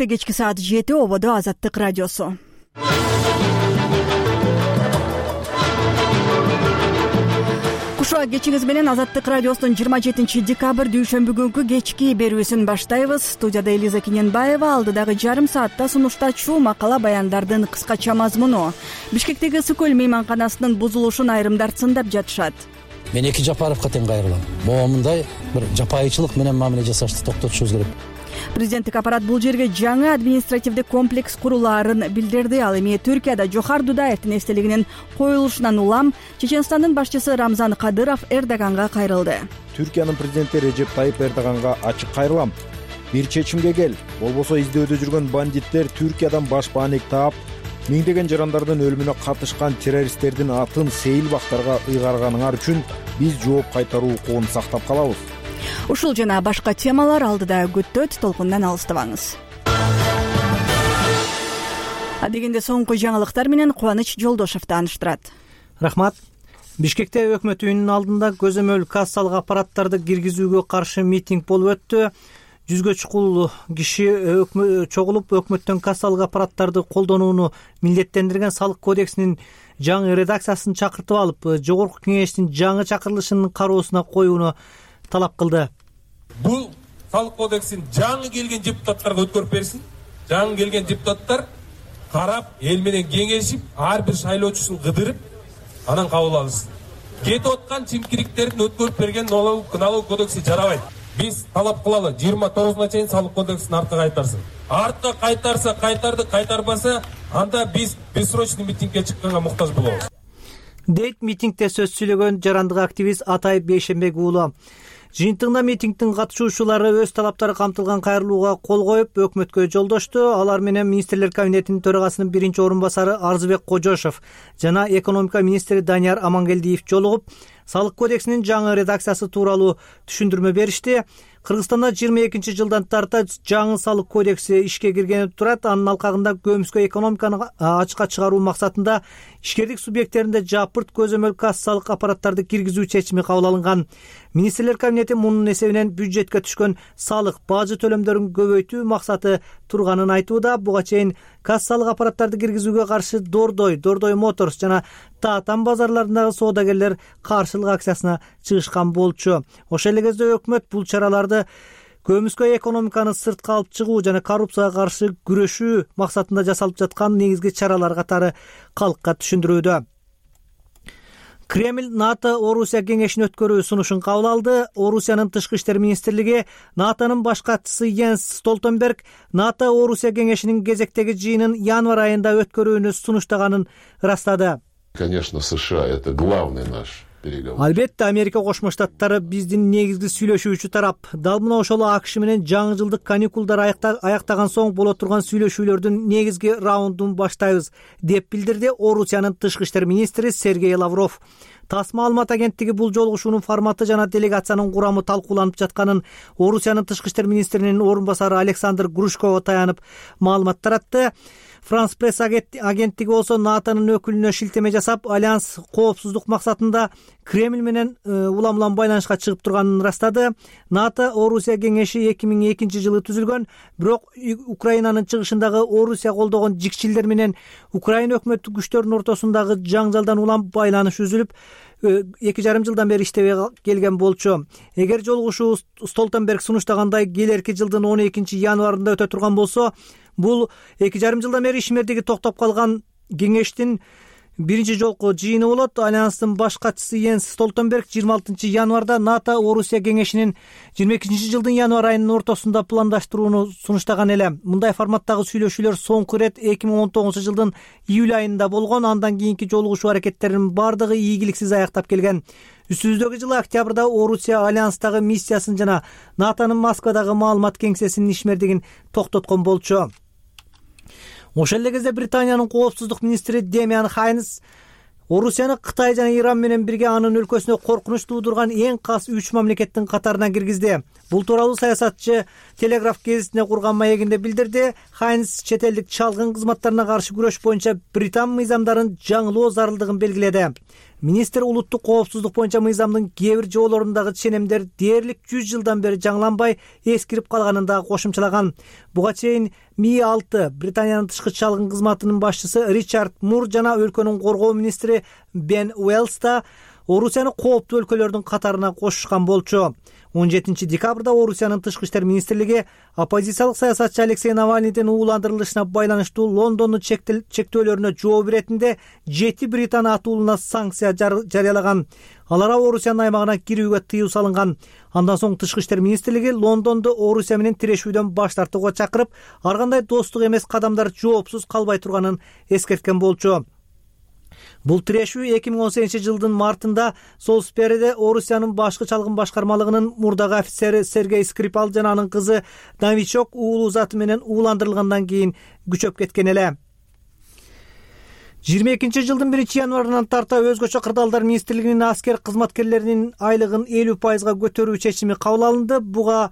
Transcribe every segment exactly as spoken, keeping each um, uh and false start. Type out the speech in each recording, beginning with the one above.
Бишкекте кечки саат жети, ободо Азаттык радиосу. Кушуа кечиңиз менен Азаттык радиосунун жыйырма жетинчи декабрь дүйшөмбү күнкү кечки берүүсүн баштайбыз. Студияда Элиза Кененбаева, алдыдагы жарым саатта сунуштачу макала баяндардын кыскача мазмуну. Бишкектеги ысык көл мейманканасынын бузулушун айрымдар цындап жатышат. Мен эки Жапаровго тең кайрылам. Моомундай бир жапайычылык менен мамиле жасашты токтотушубуз керек. Президенттик аппарат бул жерге жаңы административдик комплекс курулаарын билдирди. Ал эми Түркияда Жохар Дудаевдин эстелигинин коюлушунан улам Чеченстандын башчысы Рамзан Кадыров Эрдоганга кайрылды. Түркиянын президенти Режеп Тайип Эрдоганга ачык кайрылам. Бир чечимге кел, болбосо издөөдө жүргөн бандиттер Түркиядан баш бааник таап, миңдеген жарандардын өлүмүнө катышкан террористтердин атын сейил бактарга ыйгарганыңар үчүн биз жооп кайтаруу укугун сактап калабыз. Ушул жана башка темалар алдыда күттөт, толкундан алыстабаңыз. Адегенде соңку жаңылыктар менен Кубаныч Жолдошов тааныштырат. Рахмат. Бишкекте өкмөт үйүнүн алдында көзөмөл кассалык аппараттарды киргизүүгө каршы митинг болуп өттү. Жүзгө чукул киши чогулуп өкмөттөн кассалык аппараттарды колдонууну милдеттендирген салык кодексинин жаңы редакциясын чакыртып алып, жогорку кеңештин жаңы чакырылышынын кароосуна коюуну талап кылды. Бул салык кодексин жаңы келген депутаттарга өткөрүп берсин. Жаңы келген депутаттар карап, эл менен кеңешип, ар бир шайлоочусун кыдырып, анан кабыл алышсын. Кетип аткан чимкириктерин өткөрүп берген налог кодекси жарабайт. Биз талап кылалы, жыйырма тогузуна чейин салык кодексин артка кайтарсын. Артка кайтарса кайтарды, кайтарбаса анда биз бессрочный митингге чыкканга муктаж болобуз. Дейт митингде сөз сүйлөгөн жарандык активист Атай Бейшембек уулу. Жыйынтыгында митингдин катышуучулары өз талаптары камтылган кайрылууга кол коюп, өкмөткө жолдошту. Алар менен министрлер кабинетинин төрагасынын биринчи орун басары Арзыбек Кожошов жана экономика министри Данияр Амангелдиев жолугуп, салык кодексинин жаңы редакциясы тууралуу түшүндүрмө беришти. Кыргызстанда жыйырма экинчи жылдан тарта жаңы салык кодекси ишке киргени турат. Анын алкагында көмүскө экономиканы ачыкка чыгаруу максатында ишкердик субъекттеринде жапырт көзөмөл кассалык аппараттарды киргизүү чечими кабыл алынган. Министрлер кабинети мунун эсебинен бюджетке түшкөн салык бажы төлөмдөрүн көбөйтүү максаты турганын айтууда. Буга чейин кассалык аппараттарды киргизүүгө каршы Дордой, Дордой Моторс жана Таатан базарларындагы соодагерлер каршылык акциясына чыгышкан болчу. Ошол эле кезде өкмөт бул чараларды көмүскө экономиканы сыртка алып чыгуу жана коррупцияга каршы күрөшүү максатында жасалып жаткан негизги чаралар катары калкка түшүндүрүүдө. Кремль НАТО Орусия кеңешин өткөрүү сунушун кабыл алды. Орусиянын тышкы иштер министрлиги НАТОнун баш катчысы Йенс Столтенберг НАТО Орусия кеңешинин кезектеги жыйынын январь айында өткөрүүнү сунуштаганын ырастады. Конечно, США это главный наш переговор. Албетте Америка Кошмо Штаттары биздин негизги сүйлөшүүчү тарап. Дал мына ошол АКШ менен жаңы жылдык каникулдар аяктаган соң боло турган сүйлөшүүлөрдүн негизги раундун баштайбыз, деп билдирди Орусиянын тышкы иштер министри Сергей Лавров. ТАСС маалымат агенттиги бул жолугушуунун форматы жана делегациянын курамы талкууланып жатканын Орусиянын тышкы иштер министринин орун басары Александр Грушкова таянып маалымат таратты. Франс пресс агенттиги болсо НАТОнун өкүлүнө шилтеме жасап, альянс коопсуздук максатында Кремль менен улам-улам байланышка чыгып турганын ырастады. НАТО Орусия кеңеши эки миң экинчи жылы түзүлгөн, бирок Украинанын чыгышындагы Орусия колдогон жикчилдер менен Украина өкмөттүк күчтөрүнүн ортосундагы жаңжалдан улам байланыш үзүлүп, эки жарым жылдан бери иштебей келген болчу. Эгер жолугушуу Столтенберг сунуштагандай келерки жылдын он экинчи январында өтө турган болсо, бул эки жарым жылдан бери ишмердиги токтоп калган кеңештин биринчи жолку жыйыны болот. Альянстын баш катчысы Йенс Столтенберг жыйырма алтынчы январда НАТО Орусия кеңешинин жыйырма экинчи жылдын январь айынын ортосунда пландаштырууну сунуштаган эле. Мындай форматтагы сүйлөшүүлөр соңку ирет эки миң он тогузунчу жылдын июль айында болгон. Андан кийинки жолугушуу аракеттеринин бардыгы ийгиликсиз аяктап келген. Үстүбүздөгү жылы октябрда Орусия альянстагы миссиясын жана НАТОнун Москвадагы маалымат кеңсесинин ишмердигин токтоткон болчу. Ошол эле кезде Британиянын коопсуздук министри Демиан Хайнс Орусияны Кытай жана Иран менен бирге анын өлкөсүнө коркунуч туудурган эң кас үч мамлекеттин катарына киргизди. Бул тууралуу саясатчы Телеграф гезитине курган маегинде билдирди. Хайнс чет элдик чалгын кызматтарына каршы күрөш боюнча Британ мыйзамдарын жаңылоо зарылдыгын белгиледи. Министр улуттук коопсуздук боюнча мыйзамдын кээ бир жоболорундагы ченемдер дээрлик жүз жылдан бери жаңыланбай эскирип калганын дагы кошумчалаган. Буга чейин Ми алты Британиянын тышкы чалгын кызматынын башчысы Ричард Мур жана өлкөнүн коргоо министри Бен Уэллс да Орусияны кооптуу өлкөлөрдүн катарына кошушкан болчу. он жетинчи декабрда Орусиянын тышкы иштер министрлиги оппозициялык саясатчы Алексей Навальныйдын ууландырылышына байланыштуу Лондондун чектөөлөрүнө жооп иретинде жети британ атуулуна санкция жарыялаган. Аларга Орусиянын аймагына кирүүгө тыюу салынган. Андан соң тышкы иштер министрлиги Лондонду Орусия менен тирешүүдөн баш тартууга чакырып, ар кандай достук эмес кадамдар жоопсуз калбай турганын эскерткен болчу. Бул тирешүү эки миң он сегизинчи жылдын мартында Солсбериде Орусиянын башкы чалгын башкармалыгынын мурдагы офицери Сергей Скрипал жана анын кызы Новичок уулуу заты менен ууландырылгандан кийин күчөп кеткен эле. жыйырма экинчи жылдын биринчи январынан тарта өзгөчө кырдаалдар министрлигинин аскер кызматкерлеринин айлыгын элүү пайызга көтөрүү чечими кабыл алынды. Буга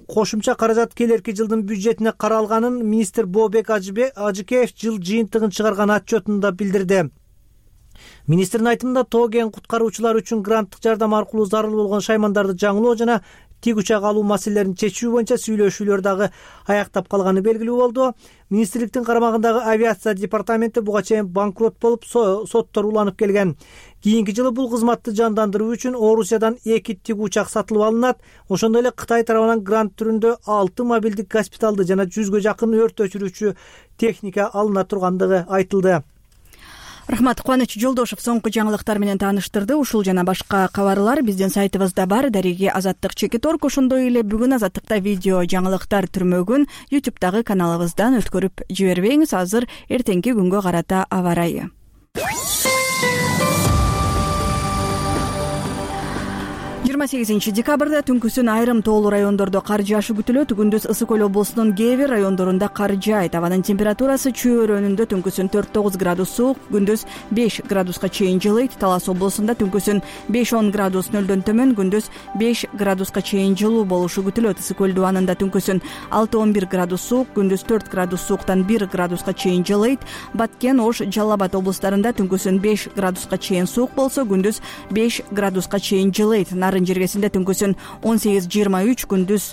кошумча каражат келерки жылдын бюджетине каралганын министр Бообек Ажыкеев жыл жыйынтыгын чыгарган отчетунда билдирди. Министрдин айтымында тоо кен куткаруучулар үчүн гранттык жардам аркылуу зарыл болгон шаймандарды жаңылоо жана тик учак алуу маселелерин чечүү боюнча сүйлөшүүлөр дагы аяктап калганы белгилүү болду. Министрликтин карамагындагы авиация департаменти буга чейин банкрот болуп, соттор уланып келген. Кийинки жылы бул кызматты жандандыруу үчүн Орусиядан эки тик учак сатылып алынат. Ошондой эле Кытай тарабынан грант түрүндө алты мобилдик госпиталды жана жүзгө жакын өрт өчүрүүчү техника алына тургандыгы айтылды. Рахмат. Кубаныч Жолдошев соңку жаңылыктар менен тааныштырды. Ушул жана башка кабарлар биздин сайтыбызда бар. Дареги Азаттык Чекиторг. Ошондой эле бүгүн Азаттыкта видео жаңылыктар түрмөгүн ютубтагы каналыбыздан өткөрүп жибербеңиз. Азыр эртеңки күнгө карата аба ырайы. жыйырма сегизинчи декабрда түнкүсүн айрым тоолуу райондордо кар жаашы күтүлөт. Күндүз Ысык көл облусунун кээ бир райондорунда кар жаайт. Абанын температурасы чөйрөнүндө түнкүсүн төрт тогуз градус суук, күндүз беш градуска чейин жылыйт. Талас облусунда түнкүсүн беш он градус нөлдөн төмөн, күндүз беш градуска чейин жылуу болушу күтүлөт. Ысык көл дубанында түнкүсүн алты он бир градус суук, күндүз төрт градус сууктан бир градуска чейин жылыйт. Баткен, Ош, Жалал Абад облустарында түнкүсүн беш градуска чейин суук болсо, күндүз беш градуска чейин жылыйт. Нарын жергесинде түнкүсүн он сегиз жыйырма үч, күндүз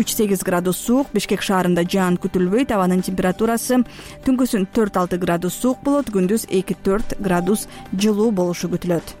үч сегиз градус суук. Бишкек шаарында жаан күтүлбөйт. Абанын температурасы түнкүсүн төрт алты градус суук болот, күндүз эки төрт градус жылуу болушу күтүлөт.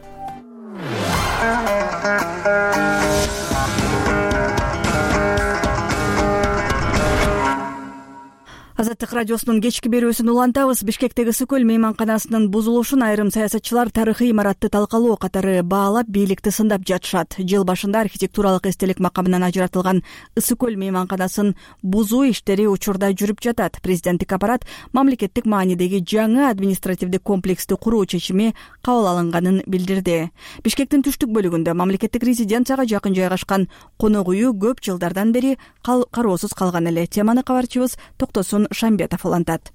Азаттык радиосунун кечки берүүсүн улантабыз. Бишкектеги Ысык көл мейманканасынын бузулушун айрым саясатчылар тарыхый имаратты талкалоо катары баалап, бийликти сындап жатышат. Жыл башында архитектуралык эстелик макамынан ажыратылган Ысык көл мейманканасын бузуу иштери учурда жүрүп жатат. Президенттик аппарат мамлекеттик маанидеги жаңы административдик комплекsti куруу чечими кабыл алынганын билдирди. Бишкектин түштүк бөлүгүндө мамлекеттик резиденцияга жакын жайгашкан конок үйү көп жылдардан бери кароосуз калган эле. Теманы кабарчыбыз Токтосун Шамбетов улантат.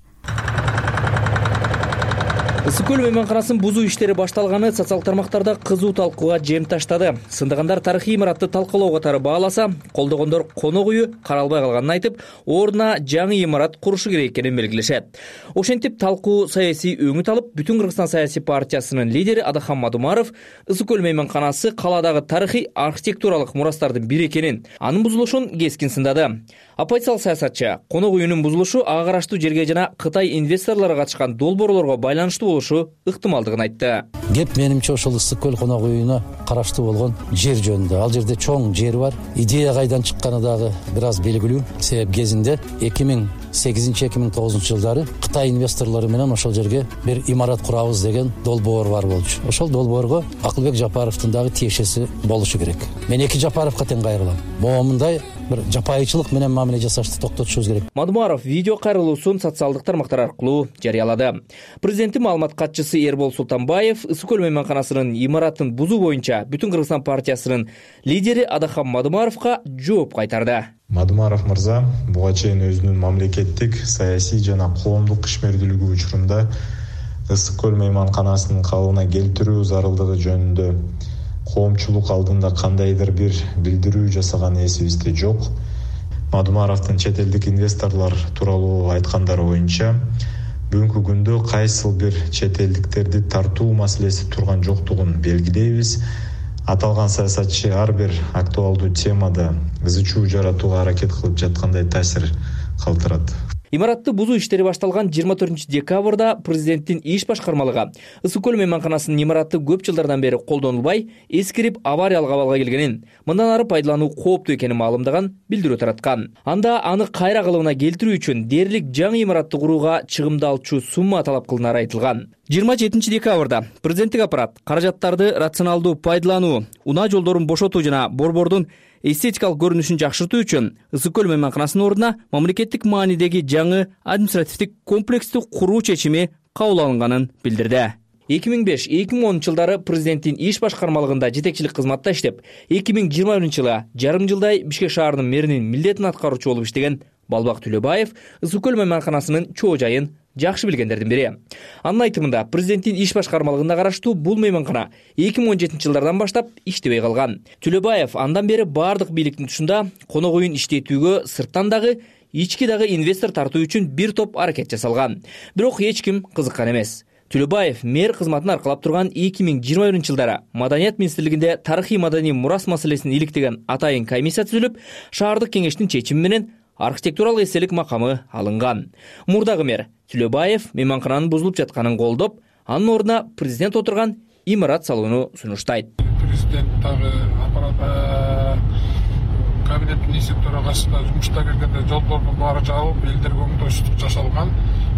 Ысык көл мейманканасын бузуу иштери башталганы социалдык тармактарда кызуу талкууга жем таштады. Сындагандар тарыхый имаратты талкалоо катары бааласа, колдогондор конок үйү каралбай калганын айтып, ордуна жаңы имарат курушу керек экенин белгилешет. Ошентип талкуу саясий өңүт алып, Бүтүн Кыргызстан саясий партиясынын лидери Адахан Мадумаров Ысык көл мейманканасы калаадагы тарыхый архитектуралык мурастардын бири экенин, анын бузулушун кескин сындады. Оппозициялык саясатчы конок үйүнүн бузулушу ага караштуу жерге жана Кытай инвесторлору катышкан долбоорлорго байланыштуу болушу ыктымалдыгын айтты. Кеп менимче ошол Ысык көл конок үйүнө караштуу болгон жер жөнүндө. Ал жерде чоң жер бар. Идея кайдан чыкканы дагы бир аз белгилүү. Себеп кезинде эки миң сегизинчи эки миң тогузунчу жылдары Кытай инвесторлору менен ошол жерге бир имарат курабыз деген долбоор бар болчу. Ошол долбоорго Акылбек Жапаровдун дагы тиешеси болушу керек. Мен эки Жапаровго тең кайрылам. Моомундай бир жапайычылык менен мамиле жасашты токтотушубуз керек. Мадумаров видео кайрылуусун социалдык тармактар аркылуу жарыялады. Президенттин маалымат катчысы Эрбол Султанбаев Ысык көл мейманканасынын имаратын бузуу боюнча Бүтүн Кыргызстан партиясынын лидери Адахан Мадумаровго жооп кайтарды. Мадумаров мырза буга чейин өзүнүн мамлекеттик, саясий жана коомдук ишмердүүлүгү учурунда Ысык көл мейманканасынын калыбына келтирүү зарылдыгы жөнүндө коомчулук алдында кандайдыр бир билдирүү жасаган эсибизде жок. Мадумаровдун чет элдик инвесторлор тууралуу айткандары боюнча бүгүнкү күндө кайсыл бир чет элдиктерди тартуу маселеси турган жоктугун белгилейбиз. Аталган саясатчы ар бир актуалдуу темада ызы чуу жаратууга аракет кылып жаткандай таасир калтырат. Имаратты бузуу иштери башталган жыйырма төртүнчү декабрда президенттин иш башкармалыгы Ысык көл мейманканасынын имараты көп жылдардан бери колдонулбай, эскирип авариялык абалга келгенин, мындан ары пайдалануу кооптуу экенин маалымдаган билдирүү тараткан. Анда аны кайра калыбына келтирүү үчүн дээрлик жаңы имаратты курууга чыгымдалчу сумма талап кылынары айтылган. жыйырма жетинчи декабрда президенттик аппарат каражаттарды рационалдуу пайдалануу, унаа жолдорун бошотуу жана борбордун эстетикалык көрүнүшүн жакшыртуу үчүн Ысык көл мейманканасынын ордуна мамлекеттик маанидеги жаңы административдик комплексти куруу чечими кабыл алынганын билдирди. эки миң беш эки миң онунчу жылдары президенттин иш башкармалыгында жетекчилик кызматта иштеп, эки миң жыйырма биринчи жылы жарым жылдай Бишкек шаарынын мэринин милдетин аткаруучу болуп иштеген Балбак Төлөбаев Ысык көл мейманканасынын чоо жайын жакшы билгендердин бири. Анын айтымында, президенттин иш башкармалыгына караштуу бул мейманкана эки миң он жетинчи жылдардан баштап иштебей калган. Төлөбаев андан бери бардык бийликтин тушунда конок үйүн иштетүүгө сырттан дагы ички дагы инвестор тартуу үчүн бир топ аракет жасалган. Бирок эч ким кызыккан эмес. Төлөбаев мэр кызматын аркалап турган эки миң жыйырма биринчи жылдары Маданият министрлигинде тарыхый маданий мурас маселесин иликтеген атайын комиссия түзүлүп, шаардык кеңештин чечими менен архитектуралык эстелик макамы алынган. Мурдагы мэр Төлөбаев мейманкананын бузулуп жатканын колдоп, анын ордуна президент отурган имарат салууну сунуштайт. Президент дагы аппарат кабинет министр төрагасына жумушта келгенде жолдордун баары жабылып, элдерге оңдойсуздук жасалган.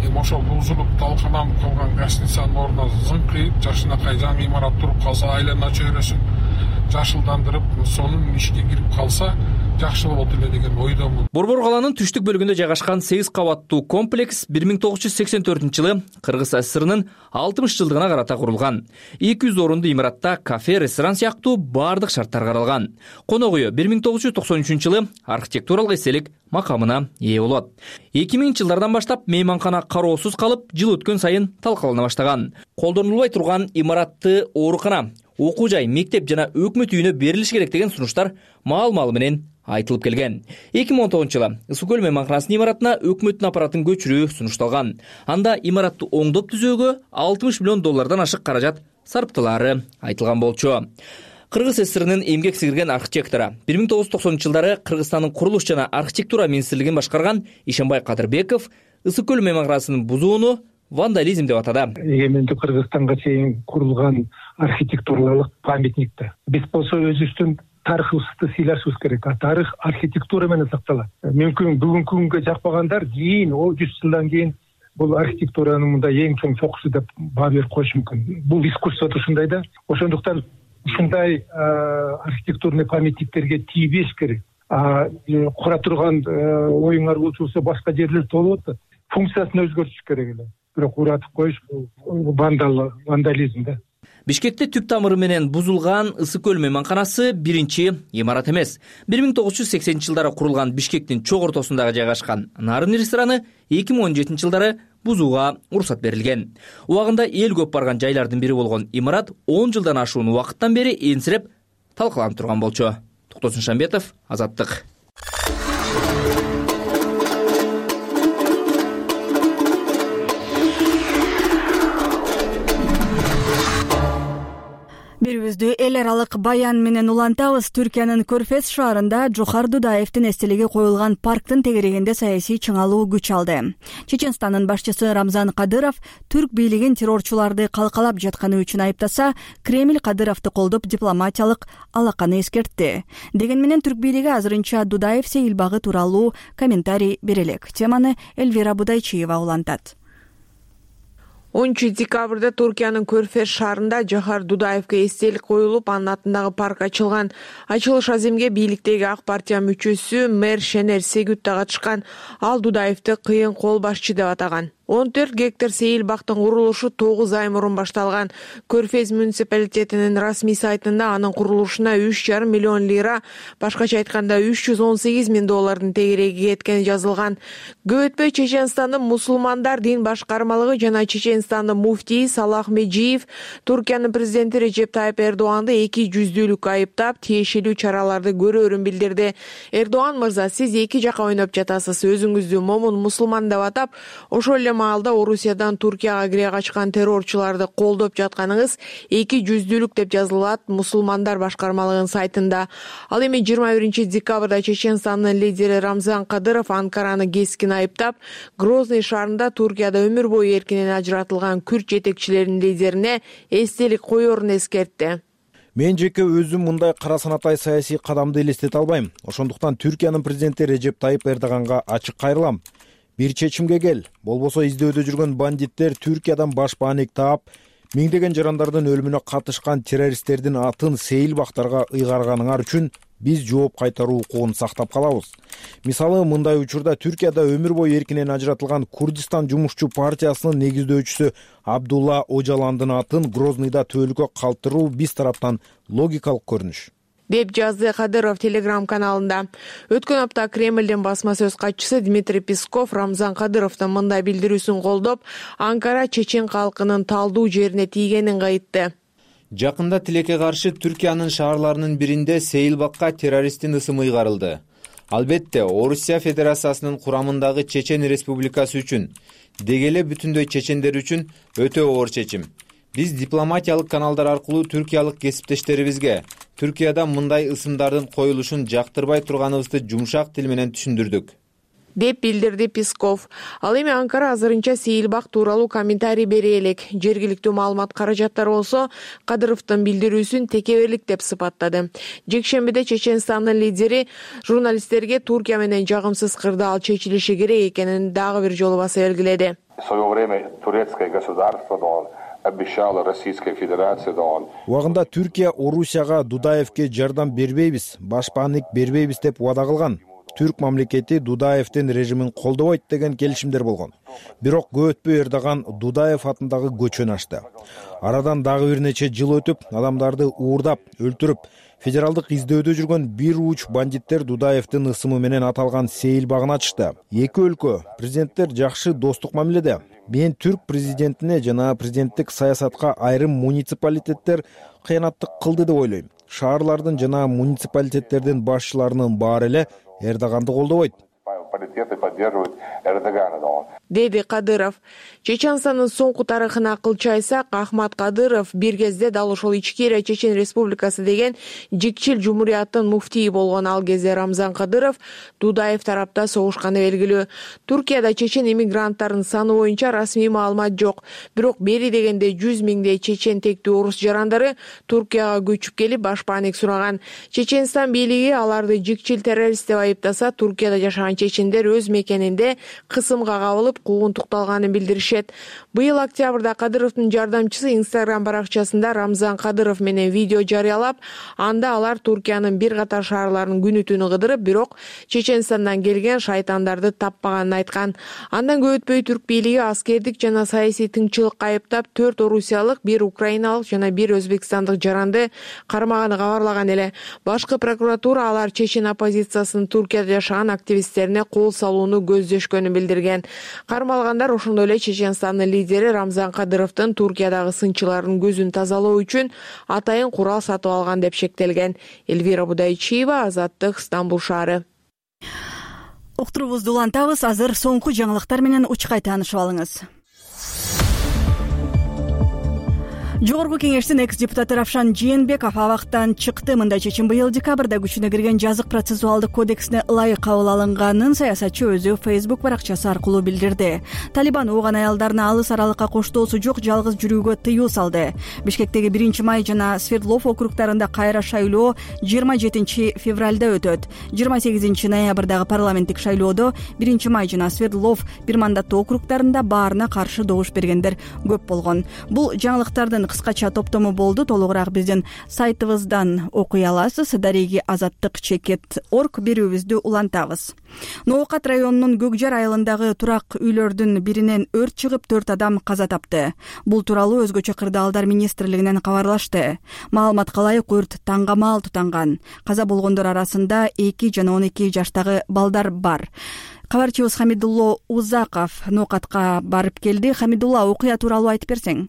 Эми ошол бузулуп талкананып калган гостиницанын ордуна зыңкыйып, жакшынакай жаңы имарат туруп калса, айлана чөйрөсүн жашылдандырып, сонун ишке кирип калса жакшы болот эле деген ойдомун. Борбор калаанын түштүк бөлүгүндө жайгашкан сегиз кабаттуу комплекс бир миң тогуз жүз сексен төртүнчү жылы Кыргыз ССРынын алтымыш жылдыгына карата курулган. эки жүз орунду имаратта кафе, ресторан сыяктуу бардык шарттар каралган. Конок үйү бир миң тогуз жүз токсон үчүнчү жылы архитектуралык эстелик макамына ээ болот. эки миңинчи жылдардан баштап мейманкана кароосуз калып, жыл өткөн сайын талкалана баштаган. Колдонулбай турган имаратты оорукана, окуу жай, мектеп жана өкмөт үйүнө берилиш керек деген сунуштар маал-маалы менен айтылып келген. эки миң он тогузунчу жылы Ысык көл мейманканасынын имаратына өкмөттүн аппаратын көчүрүү сунушталган. Анда имаратты оңдоп түзөөгө алтымыш миллион доллардан ашык каражат сарптылары айтылган болчу. Кыргыз ССРынын эмгек сиңирген архитектору, бир миң тогуз жүз токсонунчу жылдары Кыргызстандын курулуш жана архитектура министрлигин башкарган Ишенбай Кадырбеков Ысык көл мейманканасынын бузууну вандализм деп атады. Эгемендүү Кыргызстанга чейин курулган архитектуралык памятникти биз болсо өзүбүздүн тарыхыбызды сыйлашыбыз керек. Тарых архитектура менен сакталат. Мүмкүн бүгүнкү күнгө жакпагандар кийин жүз жылдан кийин бул архитектуранын мында эң чоң чокусу деп баа берип коюшу мүмкүн. Бул искусството ушундай да. Ошондуктан ушундай архитектурный памятниктерге тийбеш керек. Кура турган оюңар болчу башка жерлер толуп атат. Функциясын өзгөртүш керек эле. Бирок уратып коюш бул вандал, вандализм да. Бишкекте түп тамыры менен бузулган Ысык көл мейманканасы биринчи имарат эмес. бир миң тогуз жүз сексенинчи жылдары курулган Бишкектин чок ортосундагы жайгашкан Нарын рестораны эки миң он жетинчи жылдары бузууга уруксат берилген. Убагында эл көп барган жайлардын бири болгон имарат он жылдан ашуун убакыттан бери энсиреп талкаланып турган болчу. Токтосун Шамбетов, Азаттык. Берүүбүздү эл аралык баян менен улантабыз. Түркиянын Көрфез шаарында Жохар Дудаевдин эстелиги коюлган парктын тегерегинде саясий чыңалуу күч алды. Чеченстандын башчысы Рамзан Кадыров түрк бийлигин террорчуларды калкалап жатканы үчүн айыптаса, Кремль Кадыровду колдоп дипломатиялык алаканы эскертти. Деген менен түрк бийлиги азырынча Дудаев сейилбагы тууралуу комментарий бере элек. Теманы Эльвира Будайчиева улантат. онунчу декабрда Туркиянын Көрфез шаарында Жохар Дудаевге эстелик коюлуп, анын атындагы парк ачылган. Ачылыш аземге бийликтеги ак партия мүчөсү мэр Шенер Сегүт да катышкан. Ал Дудаевди кыйын кол башчы деп атаган. он төрт гектар сейилбактын курулушу тогуз ай мурун башталган. Көрфез муниципалитетинин расмий сайтында анын курулушуна үч жарым миллион лира, башкача айтканда үч жүз он сегиз миң доллардын тегереги кеткени жазылган. Көп өтпөй Чеченстандын мусулмандар дин башкармалыгы жана Чеченстандын муфтийи Салах Меджиев Туркиянын президенти Режеп Тайып Эрдоганды эки жүздүүлүк айыптап, тиешелүү чараларды көрөөрүн билдирди. Эрдоган мырза, сиз эки жака ойноп жатасыз, өзүңүздү момун мусулман деп атап, ошол эле маалда Орусиядан Туркияга кире качкан террорчуларды колдоп жатканыңыз эки жүздүүлүк деп жазылат мусулмандар башкармалыгынын сайтында. Ал эми жыйырма биринчи декабрда Чеченстандын лидери Рамзан Кадыров Анкараны кескин айыптап, Грозный шаарында Туркияда өмүр бою эркинен ажыратылган күрд жетекчилеринин лидерине эстелик коерун эскертти. Мен жеке өзүм мындай кара санатай саясий кадамды элестете албайм. Ошондуктан Түркиянын президенти Режеп Тайып Эрдоганга ачык кайрылам. Бир чечимге кел. Болбосо издөөдө жүргөн бандиттер Түркиядан баш бааник таап, миңдеген жарандардын өлүмүнө катышкан террористтердин атын сейил бактарга ыйгарганыңар үчүн биз жооп кайтаруу укугун сактап калабыз. Мисалы, мындай учурда Түркияда өмүр бою эркинен ажыратылган Курдистан жумушчу партиясынын негиздөөчүсү Абдулла Ожаландын атын Грознийда төөлүккө калтыруу биз тараптан логикалык көрүнүш, деп жазды Кадыров Телеграм каналында. Өткөн апта Кремлдин басма сөз катчысы Дмитрий Песков Рамзан Кадыровдун мындай билдирүүсүн колдоп, Анкара чечен калкынын талдуу жерине тийгенин айтты. Жакында тилекке каршы Түркиянын шаарларынын биринде Сейилбакка террористтин ысымы ыйгарылды. Албетте, Орусия Федерациясынын курамындагы Чечен Республикасы үчүн, деги эле бүтүндөй чечендер үчүн өтө оор чечим. Биз дипломатиялык каналдар аркылуу түркиялык кесиптештерибизге Түркияда мындай ысымдардын коюлушун жактырбай турганыбызды жумшак тил менен түшүндүрдүк, деп билдирди Песков. Ал эми Анкара азырынча Сейилбак тууралуу комментарий бере элек. Жергиликтүү маалымат каражаттары болсо Кадыровдун билдирүүсүн текеберлик деп сыпаттады. Жекшембиде Чеченстандын лидери журналисттерге Туркия менен жагымсыз кырдаал чечилиши керек экенин дагы бир жолу баса белгиледи. Убагында Түркия Орусияга Дудаевке жардам бербейбиз, баш бааник бербейбиз деп убада кылган. Түрк мамлекети Дудаевдин режимин колдобойт деген келишимдер болгон. Бирок көп өтпөй Эрдоган Дудаев атындагы көчөнү ачты. Арадан дагы бир нече жыл өтүп, адамдарды уурдап, өлтүрүп, федералдык издөөдө жүргөн бир уч бандиттер Дудаевдин ысымы менен аталган Сейилбагын ачышты. Эки өлкө президенттер жакшы достук мамиледе. Мен түрк президентине жана президенттик саясатка айрым муниципалитеттер кыянаттык кылды деп ойлойм. Шаарлардын жана муниципалитеттердин башчыларынын баары эле Эрдоганды колдобойт, деди Кадыров. Чеченстандын соңку тарыхына акылчы айтсак, Ахмат Кадыров бир кезде дал ошол Ичкерия Чечен Республикасы деген жикчил жумурияттын муфтийи болгон. Ал кезде Рамзан Кадыров Дудаев тарапта согушканы белгилүү. Туркияда чечен иммигранттарынын саны боюнча расмий маалымат жок. Бирок бери дегенде жүз миңдей чечен тектүү орус жарандары Туркияга көчүп келип баш бааник сураган. Чеченстан бийлиги аларды жикчил террорист деп айыптаса, Туркияда жашаган чечендер өз мекенинде кысымга кабылып куугунтукталганын билдиришет. Быйыл октябрда Кадыровдун жардамчысы Инстаграм баракчасында Рамзан Кадыров менен видео жарыялап, анда алар Туркиянын бир катар шаарларынын күнү түнү кыдырып, бирок Чеченстандан келген шайтандарды таппаганын айткан. Андан көп өтпөй түрк бийлиги аскердик жана саясий тынччылыкка айыптап, төрт орусиялык, бир украиналык жана бир өзбекстандык жаранды кармаганы кабарлаган эле. Башкы прокуратура алар чечен оппозициясынын Туркияда жашаган активисттерине кол салууну көздөшкөнүн билдирген. Кармалгандар ошондой эле Чеченстандын лидери Рамзан Кадыровдун Туркиядагы сынчылардын көзүн тазалоо үчүн атайын курал сатып алган деп шектелген. Эльвира Будайчиева, Азаттык, Стамбул шаары. Уктуруубузду улантабыз. Азыр соңку жаңылыктар менен учкай таанышып алыңыз. Жогорку кеңештин экс-депутаты Равшан Жээнбеков абактан чыкты. Мындай чечим быйыл декабрда күчүнө кирген жазык процессуалдык кодексине ылайык кабыл алынганын саясатчы өзү Facebook баракчасы аркылуу билдирди. Талибан ооган аялдарына алыс аралыкка коштоосу жок жалгыз жүрүүгө тыюу салды. Бишкектеги биринчи май жана Свердлов округдарында кайра шайлоо жыйырма жетинчи февралда өтөт. жыйырма сегизинчи ноябрдагы парламенттик шайлоодо биринчи май жана Свердлов бир мандаттуу округдарында баарына каршы добуш бергендер көп болгон. Бул жаңылыктардын кыскача топтому болду. Толугураак биздин сайтыбыздан окуй аласыз. Дареги азаттык чекит точка орг берүүбүздү улантабыз. Ноокат районунун Көкжар айылындагы турак үйлөрдүн биринен өрт чыгып, төрт адам каза тапты. Бул тууралуу өзгөчө кырдаалдар министрлигинен кабарлашты. Маалыматка ылайык өрт таңгамал тутанган. Каза болгондор арасында эки жана он эки жаштагы балдар бар. Кабарчыбыз Хамидулло Узаков Ноокатка барып келди. Хамидулла, окуя тууралуу айтып берсең.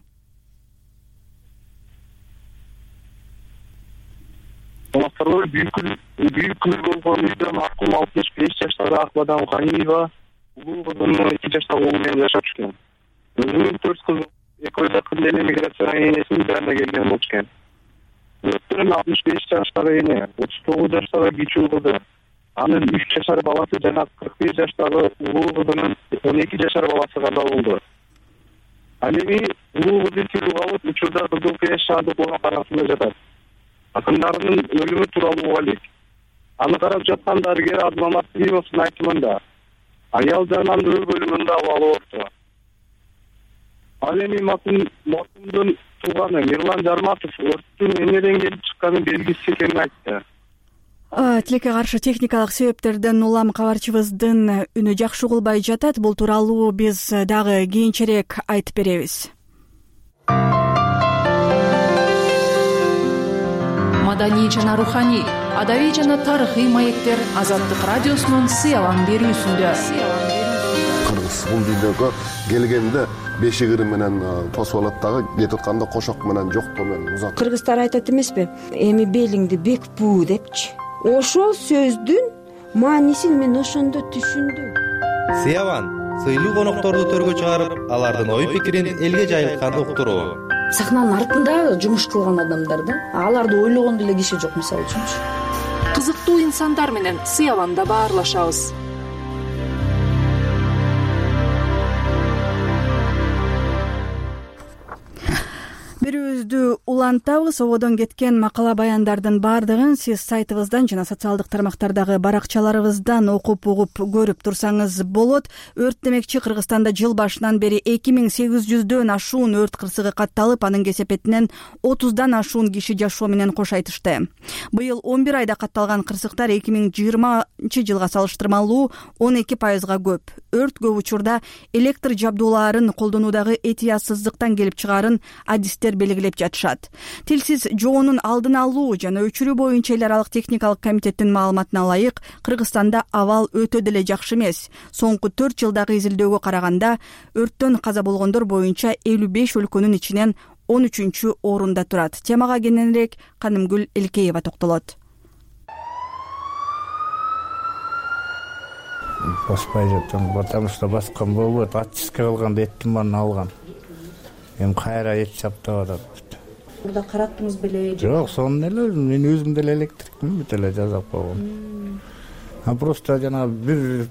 Büyük kılgın konuyla mahkum altmış beş yaşları Akbadan Ganiva, bu kızın iki yaşta oğluyla yaşa çıkıyor. келген эмиграциянын энесинин жанына келген болчу экен. Өрттөн алтымыш беш жаштагы эне, отуз тогуз жаштагы кичүү кызы, анын үч жашар баласы жана кырк беш жаштагы улуу кызынын он эки жашар баласы каза болду. Ал эми улуу кызы тирүү калып, учурда Кызыл Крест шаардык арасында жатат. Акындарынын өлүмү тууралуу убалик. Аны карап жаткан дарыгер Абдулмамат Климовдун айтымында аял жананын өө бөлүмүндө абалы оорупту. Ал эми маркумдун тууганы Мирлан Жарматов өрттүн эмнеден келип чыкканын белгисиз экенин айтты. Тилекке каршы техникалык себептерден улам кабарчыбыздын үнү жакшы угулбай жатат. Бул тууралуу биз дагы кийинчерээк айтып беребиз. Маданий жана руханий, адабий жана тарыхый маектер Азаттык радиосунун сыялан берүүсүндө. Кыргыз бул дүйнөгө келгенде бешигири менен тосуп алат дагы, кетип атканда кошок менен жоктоо менен узат. Кыргыздар айтат эмеспи? Эми белиңди бек буу депчи. Ошол сөздүн маанисин мен ошондо түшүндүм. Сыяван сыйлуу конокторду төргө чыгарып, алардын ой пикирин элге жайылткан уктуруу. Сахнанын артында жумуш кылган адамдар да, аларды ойлогон деле киши жок, мисалы үчүнчү. Кызыктуу инсандар менен Сыяванда баарлашабыз. Берүүбүздү улантабыз. Ободон кеткен макала баяндардын баардыгын сиз сайтыбыздан жана социалдык тармактардагы баракчаларыбыздан окуп угуп көрүп турсаңыз болот. Өрт демекчи Кыргызстанда жыл башынан бери эки миң сегиз жүздөн ашуун өрт кырсыгы катталып, анын кесепетинен отуздан ашуун киши жашоо менен кош айтышты. Быйыл он бир айда катталган кырсыктар эки миң жыйырманчы жылга салыштырмалуу он эки пайызга көп. Өрт көп учурда электр жабдууларын колдонуудагы этиясыздыктан келип чыгаарын адистер белгилеп жатышат. Тилсиз жоонун алдын алуу жана өчүрүү боюнча эл аралык техникалык комитеттин маалыматына ылайык, Кыргызстанда абал өтө деле жакшы эмес. Соңку төрт жылдагы изилдөөгө караганда өрттөн каза болгондор боюнча элүү беш өлкөнүн ичинен он үчүнчү орунда турат. Темага кененирээк Канымгүл Элкеева токтолот. Баспай жатам, потому что баскан болбойт. Отчистка кылганда эттин баарын алган. Эми кайра эт чаптап атат. Мурда караттыңыз беле? Жок, сонун эле, мен өзүм деле электрикмин, бүт эле жасап койгом. А просто жана бир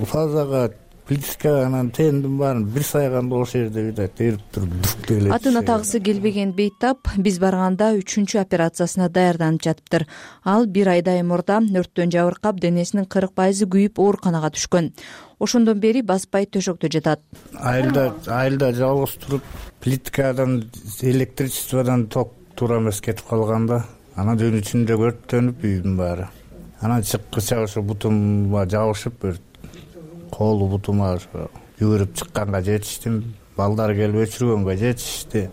фазага плитка анан тендин баарын бир сайганда ошол жерде бүт эрип туруп бүк эле. Атын атагысы келбеген Бейтап биз барганда үчүнчү операциясына даярданып жатыптыр. Ал бир айдай мурда өрттөн жабыркап, денесинин кырк пайызы күйүп ооруканага түшкөн. Ошондон бери баспай төшөктө жатат. Айылда айылда жалгыз туруп, плиткадан, электричестводон ток туура эмес кетип калганда, анан түн ичинде өрттөнүп үйдүн баары. Анан чыккыча ошо бутумга жабышып, колу бутума жүгүрүп чыкканга жетиштим. Балдар келип өчүргөнгө жетишти.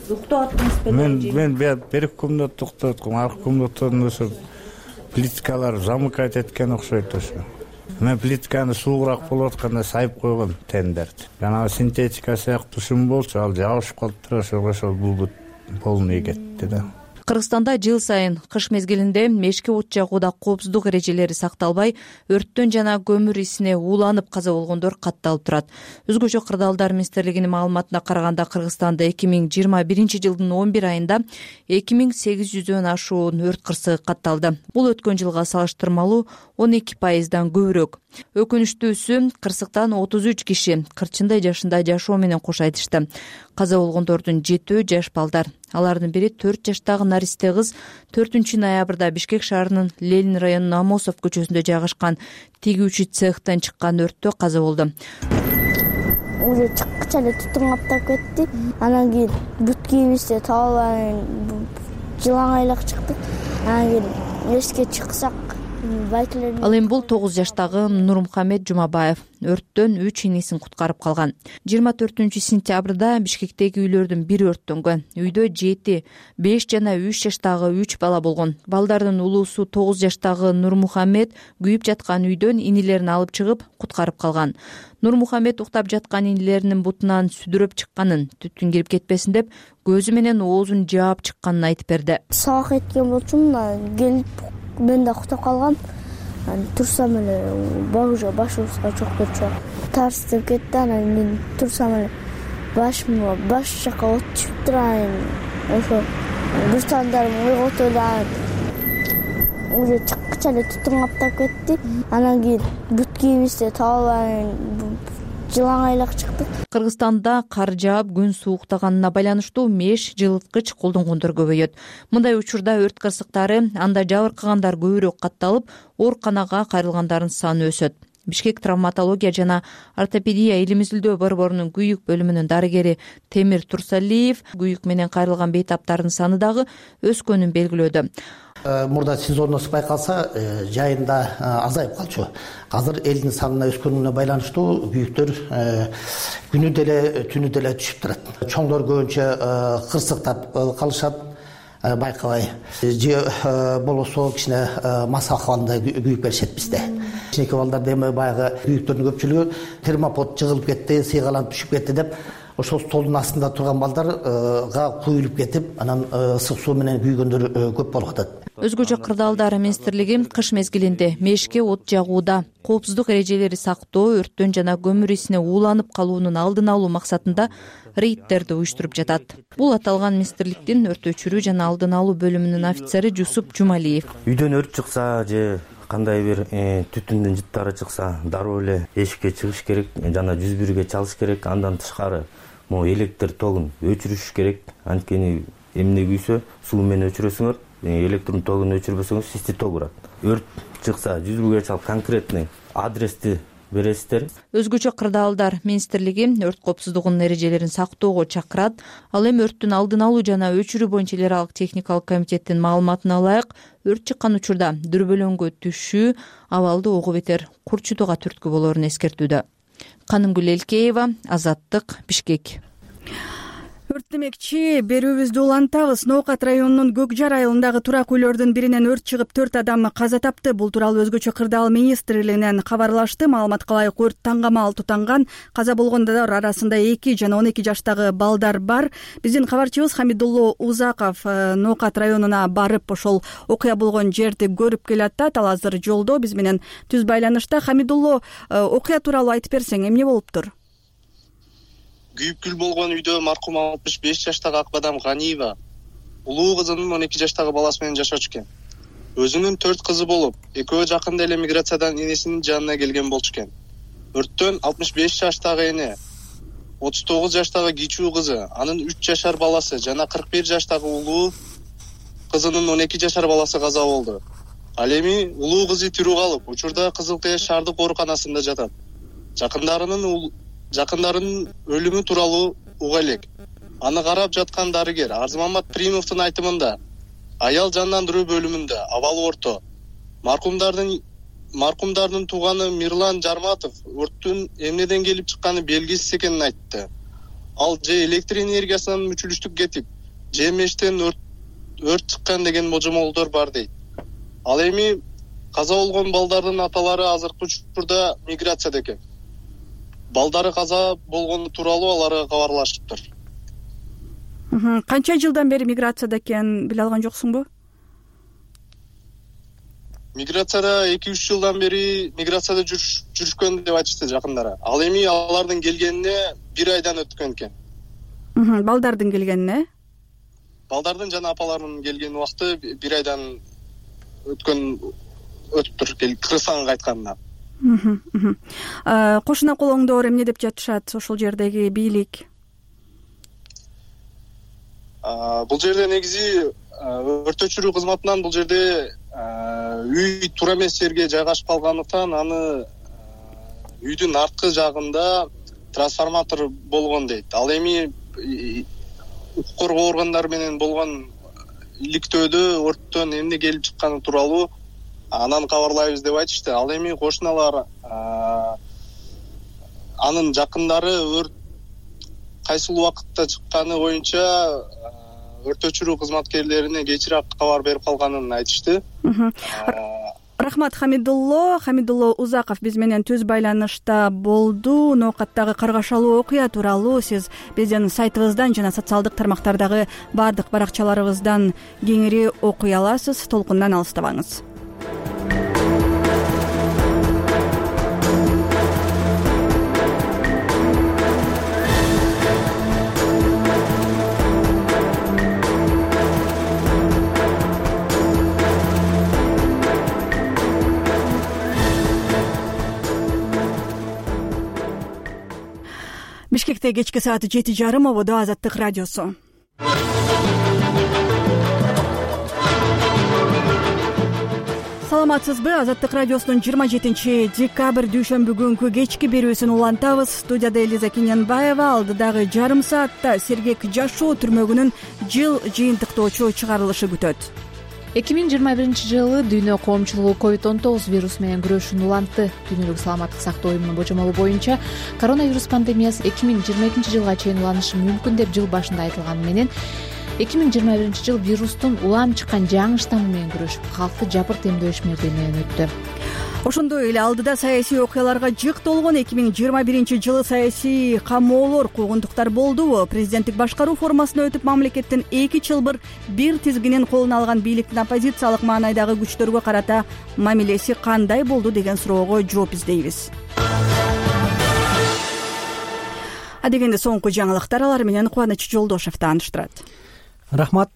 Уктап аттыңыз беле? Мен мен бир комнат уктаткам, аркы комнаттан ошо плиткалар замыкать эткен окшойт ошо. Мен плитканы суугураак болуп атканда сайып койгом тендерди. Жана синтетика сыяктуу шум болчу, ал жабышып калыптыр, ошол ошол бул полный кетти да. Кыргызстанда жыл сайын кыш мезгилинде мешки от жагууда коопсуздук эрежелери сакталбай, өрттөн жана көмүр исине ууланып каза болгондор катталып турат. Өзгөчө Кырдаалдар министрлигинин маалыматына караганда, Кыргызстанда эки миң жыйырма биринчи жылдын он бир айында эки миң сегиз жүздөн ашуун өрт кырсыгы катталды. Бул өткөн жылга салыштырмалуу он эки пайыздан көбүрөөк. Өкүнүчтүүсү, кырсыктан отуз үч киши кырчындай жашында жашоо менен кош айтышты. Каза болгондордун жетөө жаш балдар. Алардын бири төрт жаштагы наристе кыз төртүнчү ноябрда Бишкек шаарынын Ленин районунун Амосов көчөсүндө жайгашкан тигүүчү цехтен чыккан өрттө каза болду. Уже чыккыча эле тутун каптап кетти. Анан кийин бүт кийимибизди таалып жылаңайлык чыктык. Анан кийин эске чыксак Ал эми бул тогуз жаштагы Нурмухамед Жумабаев өрттөн үч инисин куткарып калган. жыйырма төртүнчү сентябрда Бишкектеги үйлөрдүн бири өрттөнгөн. Үйдө жети, беш жана үч жаштагы үч бала болгон. Балдардын улуусу тогуз жаштагы Нурмухамед күйүп жаткан үйдөн инилерин алып чыгып куткарып калган. Нурмухамед уктап жаткан инилеринин бутунан сүдүрөп чыкканын, түтүн кирип кетпесин деп көзү менен оозун жаап чыкканын айтып берди. Саак эткен болчумун, келип мен да уктап калгам. Турсам эле багыжа башыбызга чоктурчу. Тарстып кетти, анан мен турсам эле башыма баш жака от түшүп турайын. Ошо бир таңдарым ойготуп эле уже чыккыча эле түтүн каптап кетти. Анан кийин бут кийимибизди таап алайын, жылаңайлак чыктык. Кыргызстанда кар жаап күн сууктаганына байланыштуу меш жылыткыч колдонгондор көбөйөт. Мындай учурда өрт кырсыктары, анда жабыркагандар көбүрөөк катталып, ооруканага кайрылгандардын саны өсөт. Бишкек травматология жана ортопедия илим изилдөө борборунун күйүк бөлүмүнүн дарыгери Темир Турсалиев күйүк менен кайрылган бейтаптардын саны дагы өскөнүн белгилөөдө. Мурда сезонность байкалса, жайында азайып калчу. Азыр элдин санына өскөнүнө байланыштуу күйүктөр күнү деле түнү деле түшүп турат. Чоңдор көбүнчө кырсыктап калышат, байкабай. Же болосо кичине мас акыбалында күйүк беришет бизде. Кичинекей балдарда эми баягы күйүктөрдүн көпчүлүгү термопод жыгылып кетти, сыйгаланып түшүп кетти деп ошол столдун астында турган балдарга куюлуп кетип, анан ысык суу менен күйгөндөр көп болуп атат. Өзгөчө кырдаалдар министрлиги кыш мезгилинде мешке от жагууда коопсуздук эрежелери сактоо, өрттөн жана көмүр исине ууланып калуунун алдын алуу максатында рейдтерди уюштуруп жатат. Бул аталган министрликтин өрт өчүрүү жана алдын алуу бөлүмүнүн офицери Жусуп Жумалиев. Үйдөн өрт чыкса же кандай бир түтүндүн жыттары чыкса, дароо эле эшикке чыгыш керек жана жүз бирге чалыш керек. Андан тышкары могу электр тогун өчүрүш керек. Анткени эмне күйсө суу менен өчүрөсүңөр, электр тогун өчүрбөсөңүз систи ток урат. Өрт чыкса жүз бирге чалып конкретный адрести бересиздер. Өзгөчө кырдаалдар министрлиги өрт коопсуздугунун эрежелерин сактоого чакырат. Ал эми өрттүн алдын алуу жана өчүрүү боюнча эл аралык техникалык комитеттин маалыматына ылайык, өрт чыккан учурда дүрбөлөңгө түшүү абалды ого бетер курчутууга түрткү болоорун эскертүүдө. Канымгүл Элкеева, Азаттык, Бишкек. Өрт демекчи берүүбүздү улантабыз. Ноокат районунун Көкжар айылындагы турак үйлөрдүн биринен өрт чыгып төрт адам каза тапты. Бул тууралуу өзгөчө кырдаал министрлигинен кабарлашты. Маалыматка ылайык өрт таңгамал тутанган. Каза болгондор арасында эки жана он эки жаштагы балдар бар. Биздин кабарчыбыз Хамидулло Узаков Ноокат районуна барып ошол окуя болгон жерди көрүп келатат. Ал азыр жолдо биз менен түз байланышта. Хамидулло, окуя тууралуу айтып берсең, эмне болуптур? Күйүп күл болгон үйдө маркум алтымыш беш жаштагы Акбадам Ганиева улуу кызынын он эки жаштагы баласы менен жашачу экен. Өзүнүн төрт кызы болуп, экөө жакында эле миграциядан энесинин жанына келген болчу экен. Өрттөн алтымыш беш жаштагы эне, отуз тогуз жаштагы кичүү кызы, анын үч жашар баласы жана кырк бир жаштагы улуу кызынын он эки жашар баласы каза болду. Ал эми улуу кызы тирүү калып, учурда Кызыл Тээ шаардык ооруканасында жатат. Жакындарынын Жакындарынын өлүмү тууралуу уга элек. Аны карап жаткан дарыгер Арзымамат Примовдун айтымында аял жандандыруу бөлүмүндө абалы орто. Маркумдардын маркумдардын тууганы Мирлан Жарматов өрттүн эмнеден келип чыкканы белгисиз экенин айтты. Ал же электр энергиясынан мүчүлүштүк кетип, же мештен өрт өрт чыккан деген божомолдор бар дейт. Ал эми каза болгон балдардын аталары азыркы учурда миграцияда экен. Балдары каза болгону тууралуу аларга кабарлашыптыр. Канча жылдан бери миграцияда экен биле алган жоксуңбу? Миграцияда эки үч жылдан бери миграцияда жүрүшкөн деп айтышты жакындары. Ал эми алардын келгенине бир айдан өткөн экен. Балдардын келгенине? Балдардын жана апаларынын келген убакыты бир айдан өткөн өтүптүр, Кыргызстанга кайтканына. Кошуна колоңдор эмне деп жатышат ошол жердеги бийлик? Бул жерде негизи өрт өчүрүү кызматынан бул жерде үй туура эмес жерге жайгашып калгандыктан аны үйдүн арткы жагында трансформатор болгон дейт. Ал эми укук коргоо органдары менен болгон иликтөөдө өрттөн эмне келип чыкканы тууралуу анан кабарлайбыз деп айтышты. Ал эми кошуналар анын жакындары өрт кайсыл убакытта чыкканы боюнча өрт өчүрүү кызматкерлерине кечирээк кабар берип калганын айтышты. Рахмат Хамидулло. Хамидулло Узаков биз менен түз байланышта болду. Ноокаттагы каргашалуу окуя тууралуу сиз биздин сайтыбыздан жана социалдык тармактардагы баардык баракчаларыбыздан кеңири окуй аласыз. Толкундан алыстабаңыз. Бишкекте кечки саат жети жарым ободо Азаттык радиосу. Саламатсызбы? Азаттык радиосунун жыйырма жетинчи декабрь дүйшөмбү күнкү кечки берүүсүн улантабыз. Студияда Элиза Киненбаева. Алдыдагы жарым саатта сергек жашоо түрмөгүнүн жыл жыйынтыктоочу чыгарылышы күтөт. эки миң жыйырма биринчи жылы дүйнө коомчулугу ковид он тогуз вирусу менен күрөшүүнү улантты. Дүйнөлүк саламаттык сактоо уюмунун божомолу боюнча коронавирус пандемиясы эки миң жыйырма экинчи жылга чейин уланышы мүмкүн деп жыл башында айтылганы менен эки миң жыйырма биринчи жыл вирустун улам чыккан жаңы штаммы менен күрөшүп, калкты жапырт эмдөө ишмердиги менен өттү. Ошондой эле алдыда саясий окуяларга жык толгон эки миң жыйырма биринчи жылы саясий камоолор, куугунтуктар болдубу? Президенттик башкаруу формасына өтүп, мамлекеттин эки чылбыр бир тизгинин колуна алган бийликтин оппозициялык маанайдагы күчтөргө карата мамилеси кандай болду деген суроого жооп издейбиз. Адегенде соңку жаңылыктар, алар менен Кубаныч Жолдошев тааныштырат. Рахмат.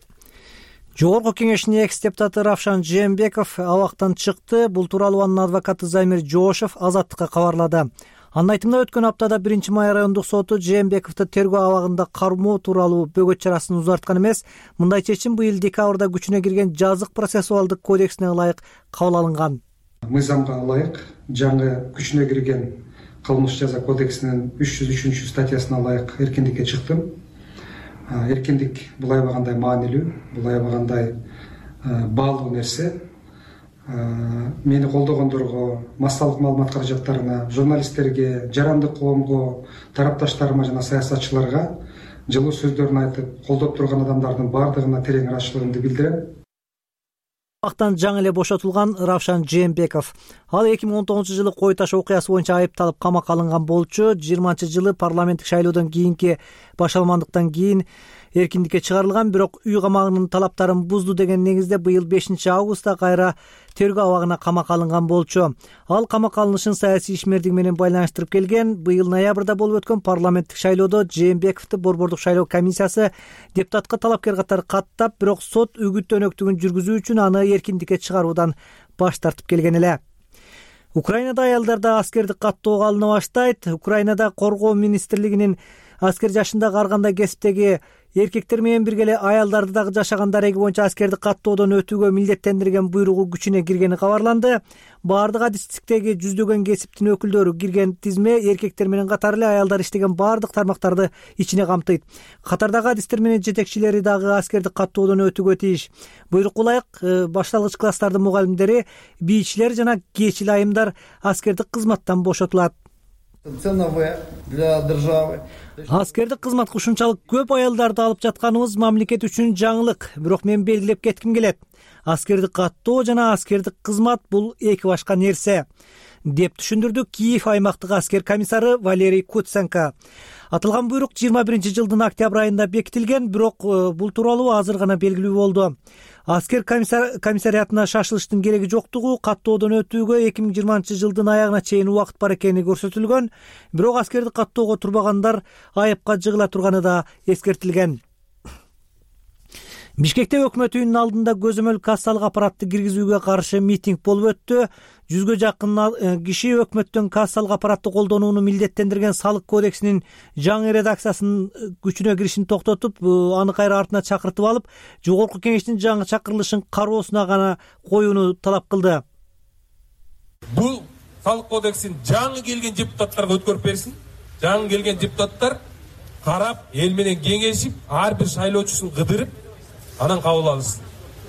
Жогорку кеңештин экс депутаты Равшан Жээнбеков абактан чыкты. Бул тууралуу анын адвокаты Замир Жоошев Азаттыкка кабарлады. Анын айтымында өткөн аптада биринчи май райондук соту Жээнбековду тергөө абагында кармоо тууралуу бөгөт чарасын узарткан эмес. Мындай чечим быйыл декабрда күчүнө кирген жазык процессуалдык кодексине ылайык кабыл алынган. Мыйзамга ылайык жаңы күчүнө кирген кылмыш жаза кодексинин үч жүз үчүнчү статьясына ылайык эркиндикке чыктым. Эркиндик бул аябагандай маанилүү, бул аябагандай баалуу нерсе. Мени колдогондорго, массалык маалымат каражаттарына, журналисттерге, жарандык коомго, тарапташтарыма жана саясатчыларга жылуу сөздөрүн айтып, колдоп турган адамдардын баардыгына терең ыраазычылыгымды билдирем. Абактан жаңы эле бошотулган Равшан Жээнбеков. Ал эки миң он тогузунчу жылы кой таш окуясы боюнча айыпталып камакка алынган болчу. жыйырманчы жылы парламенттик шайлоодон кийинки башалмандыктан кийин эркиндикке чыгарылган, бирок үй камагынын талаптарын бузду деген негизде быйыл бешинчи августта кайра тергөө абагына камакка алынган болчу. Ал камакка алынышын саясий ишмердиги менен байланыштырып келген. Быйыл ноябрда болуп өткөн парламенттик шайлоодо Жээнбековду Борбордук шайлоо комиссиясы депутатка талапкер катары каттап, бирок сот үгүт өнөктүгүн жүргүзүү үчүн аны эркиндикке чыгаруудан баш тартып келген эле. Украинада аялдарда аскердик каттоого алына баштайт. Украинада коргоо министрлигинин аскер жашындагы ар кандай кесиптеги эркектер менен бирге эле аялдарды дагы жашаган дареги боюнча аскердик каттоодон өтүүгө милдеттендирген буйругу күчүнө киргени кабарланды. Баардык адистиктеги жүздөгөн кесиптин өкүлдөрү кирген тизме эркектер менен катары эле аялдар иштеген баардык тармактарды ичине камтыйт. Катардагы адистер менен жетекчилери дагы аскердик каттоодон өтүүгө тийиш. Буйрукка ылайык башталгыч класстардын мугалимдери, бийчилер жана кечил айымдар аскердик кызматтан бошотулат. Це нове для держави. Аскердик кызматка ушунчалык көп аялдарды алып жатканыбыз мамлекет үчүн жаңылык, бирок мен белгилеп кетким келет. Аскердик каттоо жана аскердик кызмат бул эки башка нерсе, деп түшүндүрдү Киев аймактык аскер комиссары Валерий Куценко. Аталган буйрук жыйырма биринчи жылдын октябрь айында бекитилген, бирок бул тууралуу азыр гана белгилүү болду. Аскер комиссариатына шашылыштын кереги жоктугу, каттоодон өтүүгө эки миң жыйырманчы жылдын аягына чейин убакыт бар экени көрсөтүлгөн, бирок аскердик каттоого турбагандар айыпка жыгыла турганы да эскертилген. Бишкекте өкмөт үйүнүн алдында көзөмөл кассалык аппаратты киргизүүгө каршы митинг болуп өттү. Жүзгө жакын киши өкмөттүн кассалык аппаратты колдонууну милдеттендирген салык кодексинин жаңы редакциясынын күчүнө киришин токтотуп, аны кайра артына чакыртып алып, жогорку кеңештин жаңы чакырылышын кароосуна гана коюуну талап кылды. Бул салык кодексин жаңы келген депутаттарга өткөрүп берсин. Жаңы келген депутаттар карап, эл менен кеңешип, ар бир шайлоочусун кыдырып, анан кабыл алсын.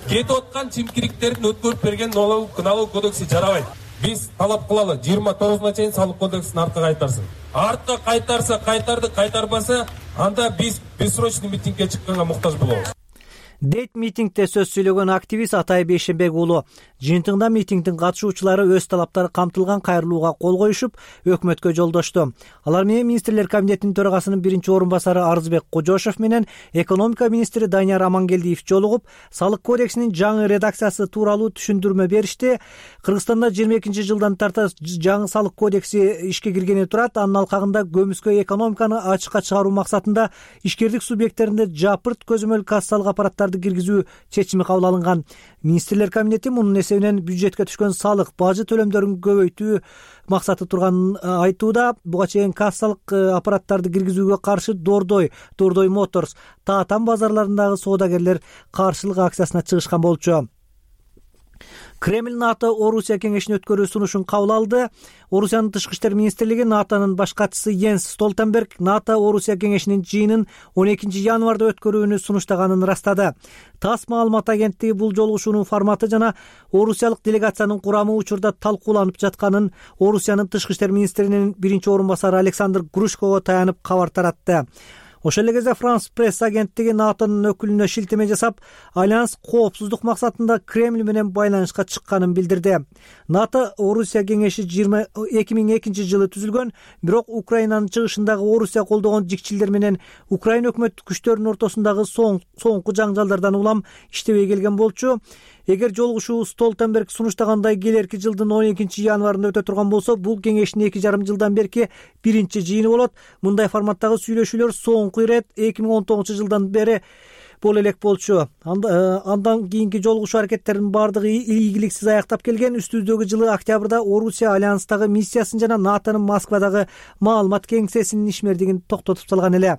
Кетип аткан чимкириктердин өткөрүп берген налог кодекси жарабайт. Биз талап кылалы, жыйырма тогузуна чейин салык кодексин артка кайтарсын. Артка кайтарса кайтарды, кайтарбаса анда биз бессрочный митингге чыкканга муктаж болобуз. Дейт митингде сөз сүйлөгөн активист Атай Бейшенбек уулу. Жыйынтыгында митингдин катышуучулары өз талаптары камтылган кайрылууга кол коюшуп, өкмөткө жолдошту. Алар менен министрлер кабинетинин төрагасынын биринчи орун басары Арызбек Кожошев менен экономика министри Данияр Амангелдиев жолугуп, салык кодексинин жаңы редакциясы тууралуу түшүндүрмө беришти. Кыргызстанда жыйырма экинчи жылдан тарта жаңы салык кодекси ишке киргени турат. Анын алкагында көмүскө экономиканы ачыкка чыгаруу максатында ишкердик субъекттеринде жапырт көзөмөл кассалык аппараттарды бажарларды киргизүү чечими кабыл алынган. Министрлер кабинети мунун эсебинен бюджетке түшкөн салык, бажы төлөмдөрүн көбөйтүү максаты турганын айтууда. Буга чейин кассалык аппараттарды киргизүүгө каршы Дордой, Дордой Моторс, Таатан базарларындагы соодагерлер каршылык акциясына чыгышкан болчу. Кремль НАТО Орусия кеңешин өткөрүү сунушун кабыл алды. Орусиянын тышкы иштер министрлиги НАТОнун баш катчысы Йенс Столтенберг НАТО Орусия кеңешинин жыйынын он экинчи январда өткөрүүнү сунуштаганын ырастады. ТАСС маалымат агенттиги бул жолугушуунун форматы жана орусиялык делегациянын курамы учурда талкууланып жатканын Орусиянын тышкы иштер министринин биринчи орун басары Александр Грушкого таянып кабар таратты. Ошол эле кезде Франс пресс агенттиги НАТОнун өкүлүнө шилтеме жасап, альянс коопсуздук максатында Кремль менен байланышка чыкканын билдирди. НАТО Орусия кеңеши эки миң экинчи жылы түзүлгөн, бирок Украинанын чыгышындагы Орусия колдогон жикчилдер менен Украина өкмөт күчтөрүнүн ортосундагы соңку жаңжалдардан улам иштебей келген болчу. Эгер жолугушуу Столтенберг сунуштагандай келерки жылдын он экинчи январында өтө турган болсо, бул кеңештин эки жарым жылдан берки биринчи жыйыны болот. Мындай форматтагы сүйлөшүүлөр соңку ирет эки миң он тогузунчу жылдан бери боло элек болчу. Андан кийинки жолугушуу аракеттеринин баардыгы ийгиликсиз аяктап келген. Үстүбүздөгү жылы октябрда Орусия альянстагы миссиясын жана НАТОнун Москвадагы маалымат кеңсесинин ишмердигин токтотуп салган эле.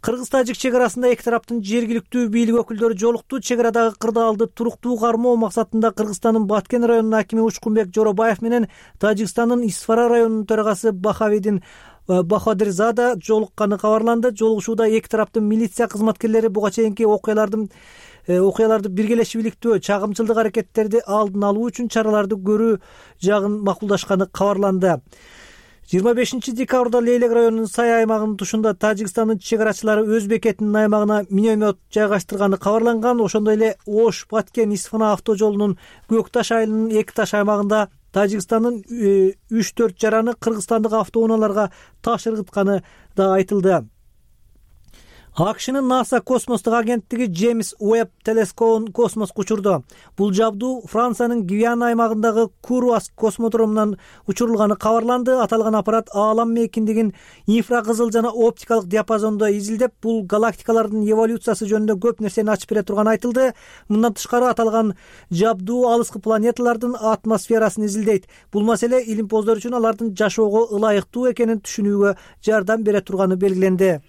Кыргыз-тажик чек арасында эки тараптын жергиликтүү бийлик өкүлдөрү жолукту. Чек арадагы кырдаалды туруктуу кармоо максатында Кыргызстандын Баткен районунун акими Учкунбек Жоробаев менен Тажикстандын Исфара районунун төрагасы Бахавидин Бахадирзада жолукканы кабарланды. Жолугушууда эки тараптын милиция кызматкерлери буга чейинки окуялардын окуяларды биргелешип иликтөө, чагымчылдык аракеттерди алдын алуу үчүн чараларды көрүү жагын макулдашканы кабарланды. жыйырма бешинчи декабрда Лейлек районунун Сай аймагынын тушунда Тажикстандын чек арачылары өз бекетинин аймагына миномет жайгаштырганы кабарланган. Ошондой эле Ош, Баткен, Исфана авто жолунун Көк Таш айылынын Эки Таш аймагында Тажикстандын үч төрт жараны кыргызстандык автоунааларга таш ыргытканы да айтылды. АКШнын НАСА космостук агенттиги Джеймс Уэбб телескопун космоско учурду. Бул жабдуу Франциянын Гвиана аймагындагы Куруас космодромунан учурулганы кабарланды. Аталган аппарат аалам мейкиндигин инфракызыл жана оптикалык диапазондо изилдеп, бул галактикалардын эволюциясы жөнүндө көп нерсени ачып бере турганы айтылды. Мындан тышкары аталган жабдуу алыскы планеталардын атмосферасын изилдейт. Бул маселе илимпоздор үчүн алардын жашоого ылайыктуу экенин түшүнүүгө жардам бере турганы белгиленди.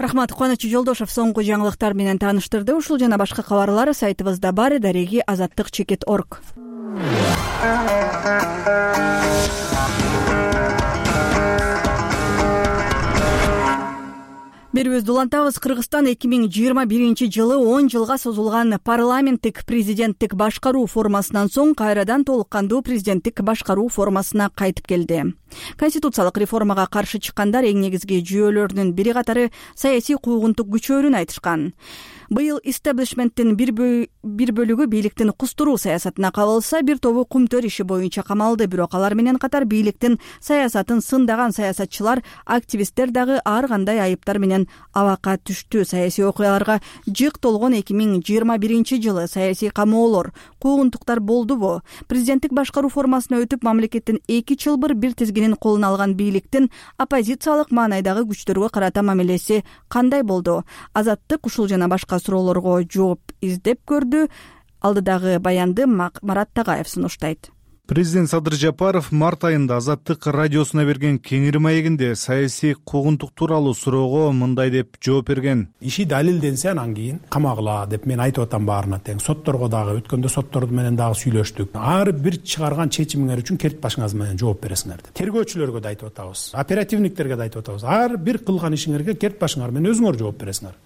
Рахмат, Кубаныч Жолдошов соңку жаңылыктар менен тааныштырды. Ушул жана башка кабарлар сайтыбызда бар. Дареги азаттык чекит точка орг. Берүүбүздү улантабыз. Кыргызстан эки миң жыйырма биринчи жылы он жылга созулган парламенттик президенттик башкаруу формасынан соң кайрадан толук кандуу президенттик башкаруу формасына кайтып келди. Конституциялык реформага каршы чыккандар эң негизги жүйөлөрүнүн бири катары саясий куугунтук күчөөрүн айтышкан. Быйыл истеблишменттин бир бөлүгү бийликтин кустуруу саясатына кабылса, бир тобу кумтөр иши боюнча камалды. Бирок алар менен катар бийликтин саясатын сындаган саясатчылар, активисттер дагы ар кандай айыптар менен абакка түштү. Саясий окуяларга жык толгон эки миң жыйырма биринчи жылы саясий камоолор, куугунтуктар болдубу? Президенттик башкаруу формасына өтүп, мамлекеттин эки чылбыр бир тизгинин колуна алган бийликтин оппозициялык маанайдагы күчтөргө карата мамилеси кандай болду? Азаттык ушул жана башка суроолорго жооп издеп көрдү. Алдыдагы баянды Марат Тагаев сунуштайт. Президент Садыр Жапаров март айында Азаттык радиосуна берген кеңири маегинде саясий куугунтук тууралуу суроого мындай деп жооп берген. Иши далилденсе анан кийин камагыла деп мен айтып атам баарына тең. Сотторго дагы өткөндө соттор менен дагы сүйлөштүк. Ар бир чыгарган чечимиңер үчүн керт башыңыз менен жооп бересиңер деп. Тергөөчүлөргө да айтып атабыз, оперативниктерге да айтып атабыз. Ар бир кылган ишиңерге керт башыңар менен өзүңөр жооп бересиңер.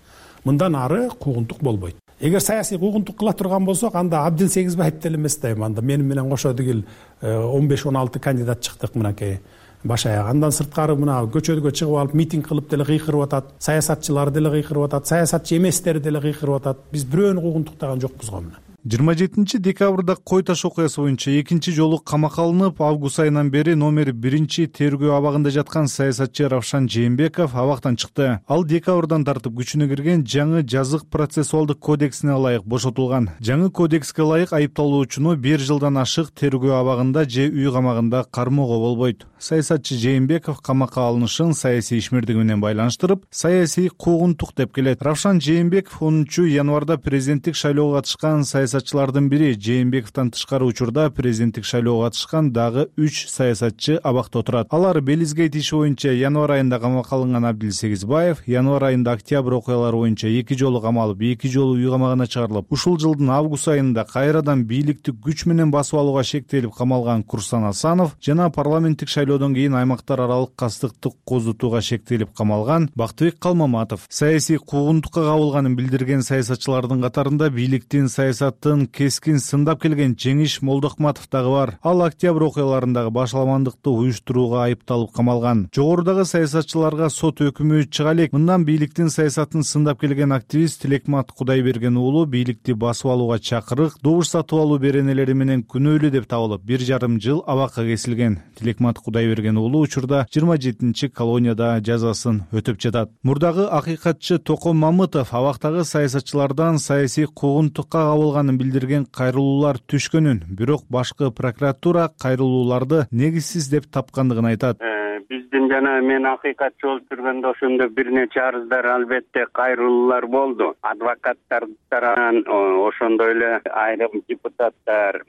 Мындан ары куугунтук болбойт. Эгер саясий куугунтук кыла турган болсок, анда Абдил Сегизбаев деле эмес да, анда менин менен кошо дегил он беш он алты кандидат чыктык мынакей баш аяк. Андан сырткары мына көчөгө чыгып алып митинг кылып деле кыйкырып атат, саясатчылар деле кыйкырып атат, саясатчы эместер деле кыйкырып атат. Биз бирөөнү куугунтуктаган жокпуз го мына. жыйырма жетинчи декабрда Кой Таш окуясы боюнча экинчи жолу камакка алынып, август айынан бери номер биринчи тергөө абагында жаткан саясатчы Равшан Жээнбеков абактан чыкты. Ал декабрдан тартып күчүнө кирген жаңы жазык процессуалдык кодексине ылайык бошотулган. Жаңы кодекске ылайык айыпталуучуну бир жылдан ашык тергөө абагында же үй камагында кармоого болбойт. Саясатчы Жээнбеков камакка алынышын саясий ишмердиги менен байланыштырып, саясий куугунтук деп келет. Равшан Жээнбеков онунчу январда президенттик шайлоого катышкан саясатчылардын бири. Жээнбековдон тышкары учурда президенттик шайлоого катышкан дагы үч саясатчы абакта отурат. Алар Белизгейт иши боюнча январь айында камакка алынган Абдил Сегизбаев, январь айында октябрь окуялары боюнча эки жолу камалып, эки жолу үй камагына чыгарылып, ушул жылдын август айында кайрадан бийликти күч менен басып алууга шектелип камалган Курсан Асанов жана парламенттик шайлоодон кийин аймактар аралык кастыктык козутууга шектелип камалган Бактыбек Калмаматов. Саясий куугунтукка кабылганын билдирген саясатчылардын катарында бийликтин саясатын кескин сындап келген Жеңиш Молдохматов дагы бар. Ал октябрь окуяларындагы башаламандыкты уюштурууга айыпталып камалган. Жогорудагы саясатчыларга сот өкүмү чыга элек. Мындан бийликтин саясатын сындап келген активист Тилекмат Кудайберген уулу бийликти басып алууга чакырык, добуш сатып алуу беренелери менен күнөөлүү деп табылып, бир жарым жыл абакка кесилген. Тилекмат Кудайберген уулу учурда жыйырма жетинчи колонияда жазасын өтөп жатат. Мурдагы акыйкатчы Током Мамытов абактагы саясатчылардан саясий куугунтукка кабылганын билдирген кайрылуулар түшкөнүн, бирок башкы прокуратура кайрылууларды негизсиз деп тапкандыгын айтат. Биздин жана мен акыйкатчы болуп жүргөндө ошондо бир нече арыздар албетте кайрылуулар болду. Адвокаттар тарабынан, ошондой эле айрым депутаттар,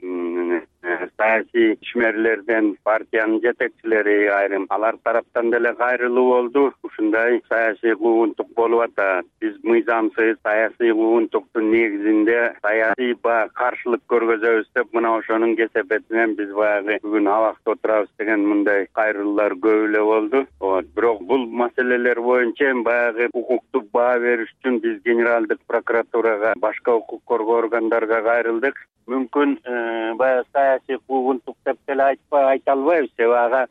саясий ишмерлерден, партиянын жетекчилери айрым алар тараптан деле кайрылуу болду. Ушундай саясий куугунтук болуп атат. Биз мыйзамсыз саясий куугунтуктун негизинде саясий баягы каршылык көргөзөбүз деп мына ошонун кесепетинен биз баягы бүгүн абакта отурабыз деген мындай кайрылуулар көп эле болду. Бирок бул маселелер боюнча баягы укуктук баа бериш үчүн биз генералдык прокуратурага, башка укук коргоо органдарга кайрылдык. Мүмкүн баягы саясий куугунтук деп деле айтпай айта албайбыз. Себеби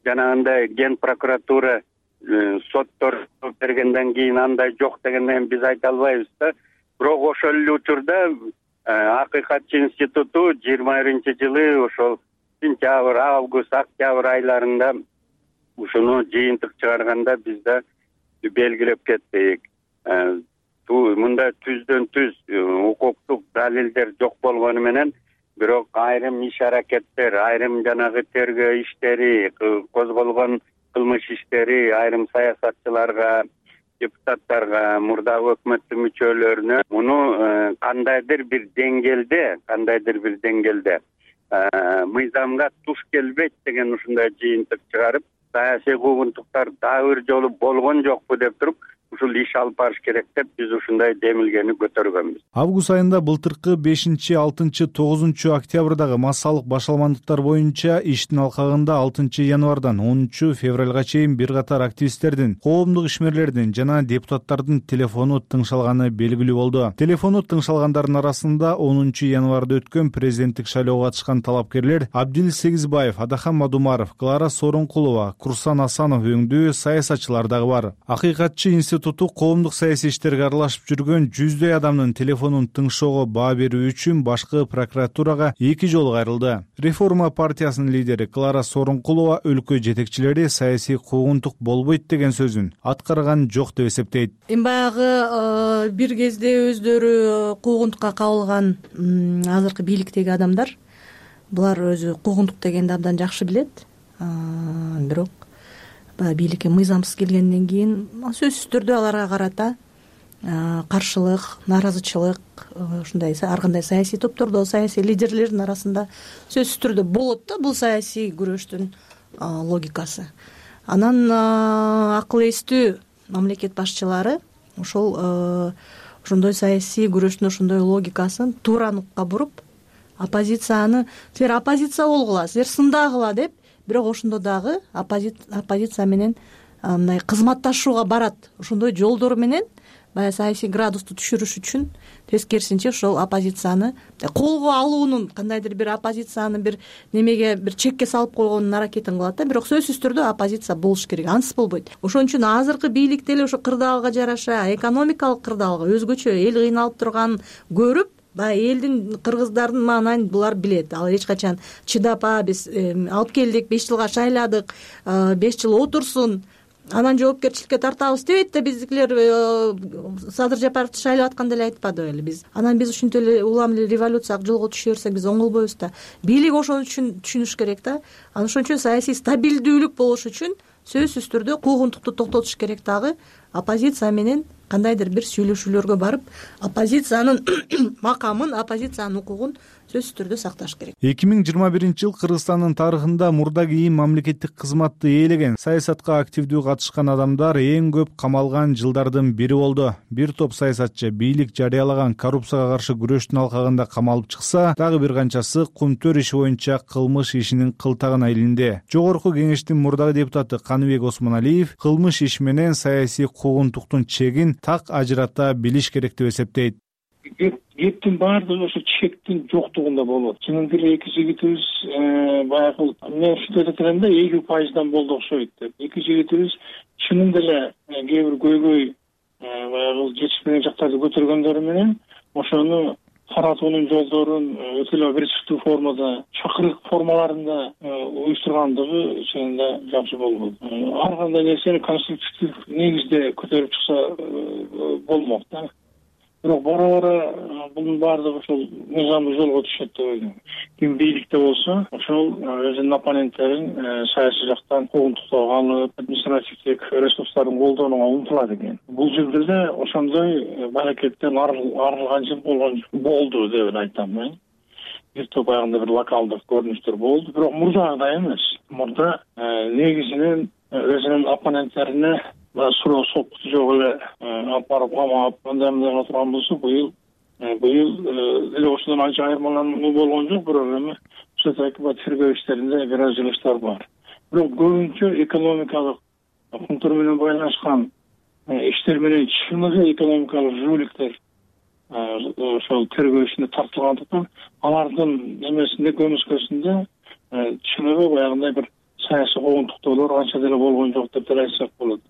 жанагындай ген прокуратура соттор бергенден кийин андай жок дегенден биз айта албайбыз да. Бирок ошол эле учурда акыйкатчы институту жыйырма биринчи жылы ошол сентябрь, август, октябрь айларында ушуну жыйынтык чыгарганда биз да белгилеп кеттик. Мында түздөн түз укуктук далилдер жок болгону менен, бирок айрым иш аракеттер, айрым жанагы тергөө иштери, козголгон кылмыш иштери айрым саясатчыларга, депутаттарга, мурдагы өкмөттүн мүчөлөрүнө муну кандайдыр бир деңгээлде, кандайдыр бир деңгээлде мыйзамга туш келбейт деген ушундай жыйынтык чыгарып, саясий куугунтуктар дагы бир жолу болгон жокпу деп туруп, ушул иш алып барыш керек деп биз ушундай демилгени көтөргөнбүз. Август айында былтыркы бешинчи, алтынчы, тогузунчу октябрдагы массалык башаламандыктар боюнча иштин алкагында алтынчы январдан онунчу февралга чейин бир катар активисттердин, коомдук ишмерлердин жана депутаттардын телефону тыңшалганы белгилүү болду. Телефону тыңшалгандардын арасында онунчу январда өткөн президенттик шайлоого катышкан талапкерлер Абдил Сегизбаев, Адахан Мадумаров, Клара Сооронкулова, Курсан Асанов өңдүү саясатчылар дагы бар. Акыйкатчы институту коомдук саясий иштерге аралашып жүргөн жүздөй адамдын телефонун тыңшоого баа берүү үчүн башкы прокуратурага эки жолу кайрылды. Реформа партиясынын лидери Клара Сооронкулова өлкө жетекчилери саясий куугунтук болбойт деген сөзүн аткарган жок деп эсептейт. Эми баягы бир кезде өздөрү куугунтукка кабылган азыркы бийликтеги адамдар, булар өзү куугунтук дегенди абдан жакшы билет. Бирок бийликке мыйзамсыз келгенден кийин сөзсүз түрдө аларга карата каршылык, нааразычылык, ушундай ар кандай саясий топтордо, саясий лидерлердин арасында сөзсүз түрдө болот да, бул саясий күрөштүн логикасы. Анан акыл эстүү мамлекет башчылары ошол ошондой саясий күрөштүн ошондой логикасын туура нукка буруп, оппозицияны силер оппозиция болгула, силер сындагыла деп, бирок ошондо дагы оппозиция менен мындай кызматташууга барат. Ошондой жолдор менен баягы саясий градусту түшүрүш үчүн тескерисинче ошол оппозицияны колго алуунун, кандайдыр бир оппозицияны бир немеге бир чекке салып койгондун аракетин кылат да. Бирок сөзсүз түрдө оппозиция болуш керек, ансыз болбойт. Ошон үчүн азыркы бийлик деле ошо кырдаалга жараша, экономикалык кырдаалга өзгөчө эл кыйналып турганын көрүп, баягы элдин кыргыздардын маанайын булар билет. Ал эч качан чыдап а биз алып келдик, беш жылга шайладык, беш жыл отурсун, анан жоопкерчиликке тартабыз дебейт да. Биздикилер Садыр Жапаровду шайлап атканда эле айтпады беле биз. Анан биз ушинтип эле улам эле революцияга жолго түшө берсек биз оңолбойбуз да. Бийлик ошону түшүнүш керек да. Анан ошон үчүн саясий стабилдүүлүк болуш үчүн сөзсүз түрдө куугунтукту токтотуш керек дагы. Оппозиция менен кандайдыр бир сүйлөшүүлөргө барып, оппозициянын макамын, оппозициянын укугун сөзсүз түрдө сакташ керек. эки миң жыйырма биринчи жыл Кыргызстандын тарыхында мурда кийин мамлекеттик кызматты ээлеген, саясатка активдүү катышкан адамдар эң көп камалган жылдардын бири болду. Бир топ саясатчы бийлик жарыялаган коррупцияга каршы күрөштүн алкагында камалып чыкса, дагы бир канчасы кумтөр иши боюнча кылмыш ишинин кылтагына илинди. Жогорку кеңештин мурдагы депутаты Каныбек Осмоналиев кылмыш иш менен саясий куугунтуктун чегин так ажырата билиш керек деп эсептейт. Кептин баардыгы ошо чектин жоктугунда болот. Чынында эле эки жигитибиз баягы мен ушинтип айтат элем да, элүү пайыздан болду окшойт деп. Эки жигитибиз чынында эле кээ бир көйгөй баягы жетишпеген жактарды көтөргөндөрү менен ошону таратуунун жолдорун өтө эле оперативдүү формада, чакырык формаларында уюштургандыгы чынында жакшы болгон. Ар кандай нерсени конструктивдүү негизде көтөрүп чыкса болмок да. Бирок бара бара bunun баардыгы ошол мыйзамдуу жолго түшөт деп ойлойм. Ким бийликте болсо, ошол өзүнүн оппоненттерин саясий жактан куугунтуктоого алып, административдик ресурстарын колдонууга умтулат экен. Бул жылда да ошондой аракеттен арылган жыл болгон болду деп айтам мен. Бир топ аягында бир локалдык көрүнүштөр болду, бирок мурдагыдай эмес. Мурда негизинен өзүнүн оппоненттерине суроо сопкусу жок эле алып барып камап, андай мындай турган болсо, быйыл быйыл эле ошондон анча айырмалануу болгон жок, бирок эми ушул тергөө иштеринде бир аз жылыштар бар. Бирок көбүнчө экономикалык кумтур менен байланышкан иштер менен чыныгы экономикалык жүүлүктөр ошол тергөө ишине тартылгандыктан алардын эмесинде көмүскөсүндө чыныгы баягындай бир саясий куугунтуктоолор анча деле болгон жок деп деле айтсак болот.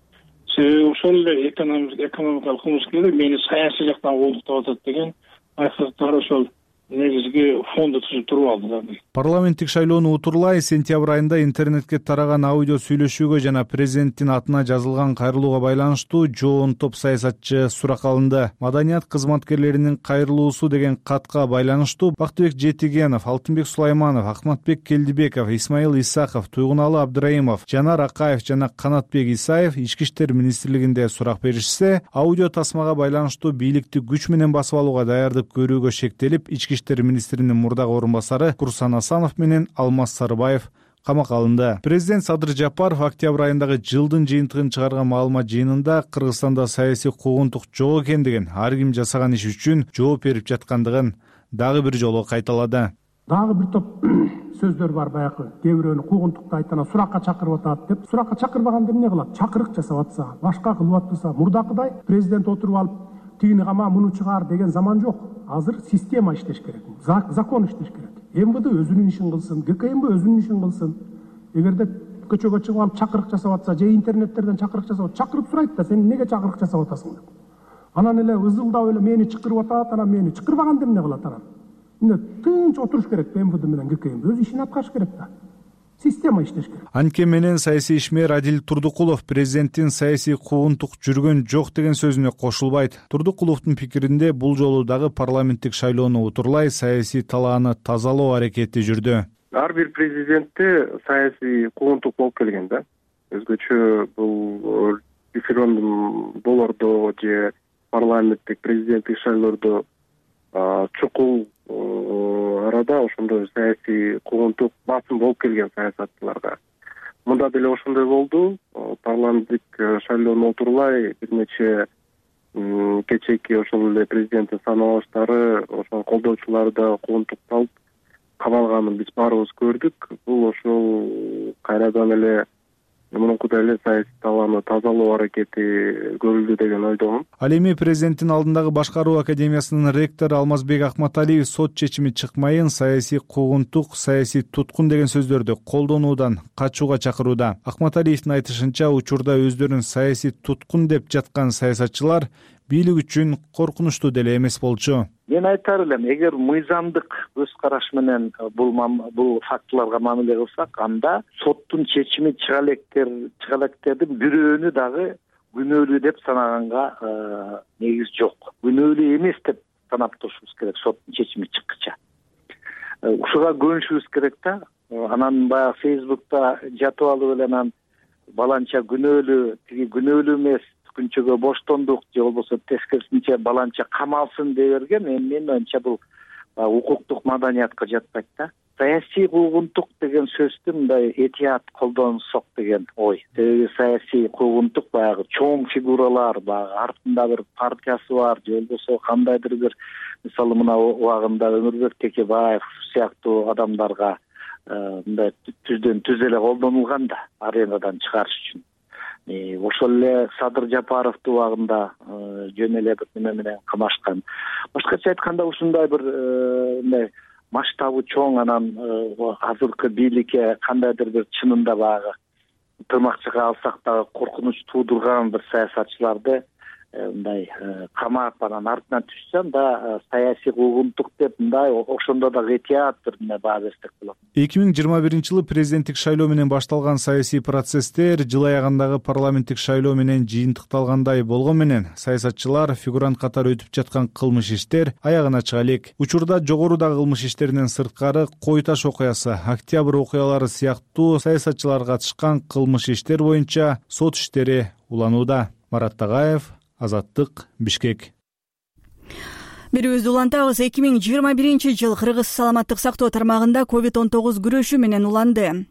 Себеби ошол эле экономикалык кылмыскерлер мени саясий жактан куугунтуктап атат деген айкыктар ошол негизги фонду түзүп туруп алды да. Парламенттик шайлоону утурлай сентябрь айында интернетке тараган аудио сүйлөшүүгө жана президенттин атына жазылган кайрылууга байланыштуу жоон топ саясатчы сурак алынды. Маданият кызматкерлеринин кайрылуусу деген катка байланыштуу Бактыбек Жетигенов, Алтынбек Сулайманов, Акматбек Келдибеков, Исмаил Исаков, Туйгуналы Абдыраимов, Жанар Акаев жана Канатбек Исаев Ички иштер министрлигинде сурак беришсе, аудио тасмага байланыштуу бийликти күч менен басып алууга даярдык көрүүгө шектелип, Ички иштер министринин мурдагы орун басары Курсан Асанов менен Алмаз Сарыбаев камакка алынды. Президент Садыр Жапаров октябрь айындагы жылдын жыйынтыгын чыгарган маалымат жыйынында Кыргызстанда саясий куугунтук жок экендигин, ар ким жасаган иш үчүн жооп берип жаткандыгын дагы бир жолу кайталады. Дагы бир топ сөздөр бар баягы. Кээ бирөөнү куугунтукта айтана суракка чакырып атат деп. Суракка чакырбаганда эмне кылат? Чакырык жасап атса, башка кылып атпаса, мурдакыдай президент отуруп алып тигини кама, муну чыгар деген заман жок. Азыр система иштеш керек, закон иштеш керек. МВД өзүнүн ишин кылсын, ГКМБ өзүнүн ишин кылсын. Эгерде көчөгө чыгып алып чакырык жасап атса, же интернеттерден чакырык жасап, чакырып сурайт да, сен эмнеге чакырык жасап атасың деп. Анан эле ызылдап эле мени чакырып атат, анан мени чакырбаганда эмне кылат анан? Эмне тынч отуруш керек, МВД менен ГКМБ өз ишин аткарыш керек да. Система иштеш керек. Анткени менен саясий ишмер Адил Турдукулов президенттин саясий куугунтук жүргөн жок деген сөзүнө кошулбайт. Турдукуловдун пикиринде бул жолу дагы парламенттик шайлоону утурлай саясий талааны тазалоо аракети жүрдү. Ар бир президентте саясий куугунтук болуп келген да. Өзгөчө бул референдум болордо же парламенттик президенттик шайлоодо чукул арада ошондой саясий куугунтук басым болуп келген саясатчыларга. Мында деле ошондой болду. Парламенттик шайлоону отурлай бир нече кечээки ошол эле президенттин саналыштары, ошол колдоочулары да куугунтукталып камалганын биз баарыбыз көрдүк. Бул ошол кайрадан эле мурункудай эле саясий талааны тазалоо аракети көрүлдү деген ойдомун. Ал эми президенттин алдындагы башкаруу академиясынын ректору Алмазбек Акматалиев сот чечими чыкмайын саясий куугунтук, саясий туткун деген сөздөрдү колдонуудан качууга чакырууда. Акматалиевдин айтышынча, учурда өздөрүн саясий туткун деп жаткан саясатчылар бийлик үчүн коркунучтуу деле эмес болчу. Мен айтар элем, эгер мыйзамдык көз караш менен бул бул фактыларга мамиле кылсак, анда соттун чечими чыга электер чыга электердин бирөөнү дагы күнөөлүү деп санаганга негиз жок. Күнөөлүү эмес деп санап турушубуз керек соттун чечими чыккыча. Ушуга көнүшүбүз керек да. Анан баягы Фейсбукта жатып алып эле анан баланча күнөөлүү, тиги күнөөлүү эмес, күнчөгө боштондук же болбосо тескерисинче баланча камалсын дей берген, эми менин оюмча бул укуктук маданиятка жатпайт да. Саясий куугунтук деген сөздү мындай этият колдонсок деген ой. Себеби саясий куугунтук баягы чоң фигуралар, баягы артында бир партиясы бар, же болбосо кандайдыр бир, мисалы мына убагында Өмүрбек Текебаев сыяктуу адамдарга мындай түздөн түз эле колдонулган да, аренадан чыгарыш үчүн. Ошол эле Садыр Жапаровду убагында жөн эле бир неме менен камашкан. Башкача айтканда ушундай бир мындай масштабы чоң, анан азыркы бийликке кандайдыр бир чынында баягы тырмакчыга алсак дагы коркунуч туудурган бир саясатчыларды мындай камап анан артынан түшсө, анда саясий куугунтук деп мындай ошондо дагы этият бир неме баа берсек болот. эки миң жыйырма биринчи жылы президенттик шайлоо менен башталган саясий процесстер жыл аягындагы парламенттик шайлоо менен жыйынтыкталгандай болгон менен саясатчылар фигурант катары өтүп жаткан кылмыш иштер аягына чыга элек. Учурда жогорудагы кылмыш иштеринен сырткары Кой Таш окуясы, Октябрь окуялары сыяктуу саясатчылар катышкан кылмыш иштер боюнча сот иштери уланууда. Марат Тагаев, Азаттык, Бишкек. Берүүбүздү улантабыз. эки миң жыйырма биринчи жыл Кыргыз саламаттык сактоо тармагында ковид он тогуз күрөшү менен уланды.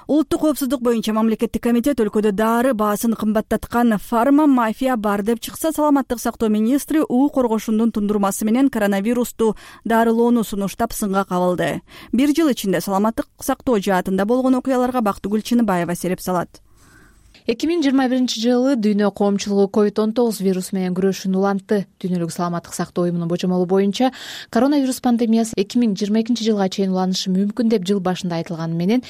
Улуттук коопсуздук боюнча мамлекеттик комитет өлкөдө дары баасын кымбаттаткан фарма мафия бар деп чыкса, саламаттык сактоо министри уу коргошундун тундурмасы менен коронавирусту дарылоону сунуштап сынга кабылды. Бир жыл ичинде саламаттык сактоо жаатында болгон окуяларга Бактыгүл Чыныбаева сереп салат. эки миң жыйырма биринчи жылы дүйнө коомчулугу ковид он тогуз вирусу менен күрөшүн улантты. Дүйнөлүк саламаттык сактоо уюмунун божомолу боюнча коронавирус пандемиясы эки миң жыйырма экинчи жылга чейин уланышы мүмкүн деп жыл башында айтылганы менен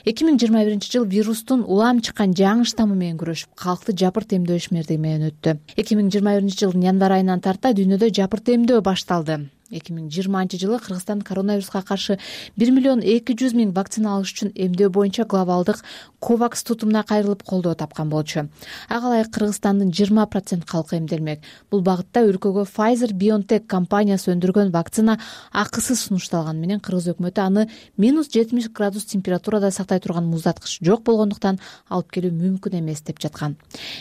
эки миң жыйырма биринчи жыл вирустун улам чыккан жаңы штаммы менен күрөшүп, калкты жапырт эмдөө ишмердиги менен өттү. эки миң жыйырма биринчи жылдын январь айынан тарта дүйнөдө жапырт эмдөө башталды. эки миң жыйырманчы жылы Кыргызстан коронавируска каршы бир миллион эки жүз миң вакцина алыш үчүн эмдөө боюнча глобалдык ковакс тутумуна кайрылып колдоо тапкан болчу. Ага ылайык Кыргызстандын жыйырма процент калкы эмделмек. Бул багытта өлкөгө Pfizer-BioNTech компаниясы өндүргөн вакцина акысыз сунушталганы менен Кыргыз өкмөтү аны минус жетимиш градус температурада сактай турган муздаткыч жок болгондуктан алып келүү мүмкүн эмес деп жаткан.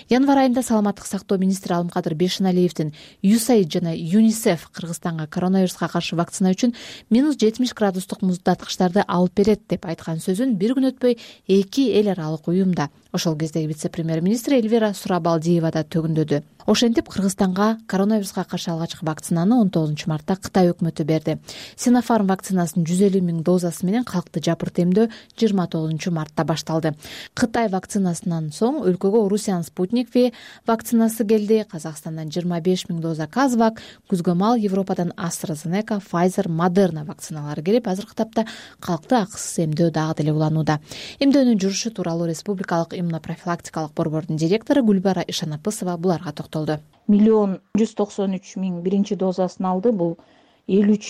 Январь айында саламаттык сактоо министри Алымкадыр Бешеналиевдин ю эс эй ай ди жана ЮНИСЕФ Кыргызстанга коронавируска каршы вакцина үчүн минус жетимиш градустук муздаткычтарды алып берет деп айткан сөзүн бир күн өтпөй эки эл аралык уюмда, ошол кездеги вице-премьер-министр Эльвира Сурабалдиева да төгүндөдү. Ошентип Кыргызстанга коронавируска каршы алгачкы вакцинаны он тогузунчу мартта Кытай өкмөтү берди. Синофарм вакцинасынын жүз элүү миң дозасы менен калкты жапырт эмдөө жыйырма тогузунчу мартта башталды. Кытай вакцинасынан соң өлкөгө Орусиянын Спутник V вакцинасы келди. Казакстандан жыйырма беш миң доза Казвак, күзгө мал Европадан AstraZeneca, Pfizer, Moderna вакциналары келип, азыркы тапта калкты акысыз эмдөө дагы деле уланууда. Эмдөөнүн жүрушу тууралуу Республикалык иммунопрофилактикалык борбордун директору Гүлбара Ишанапысова буларга токтолду. Миллион жүз токсон үч миң биринчи дозасын алды. Бул элүү үч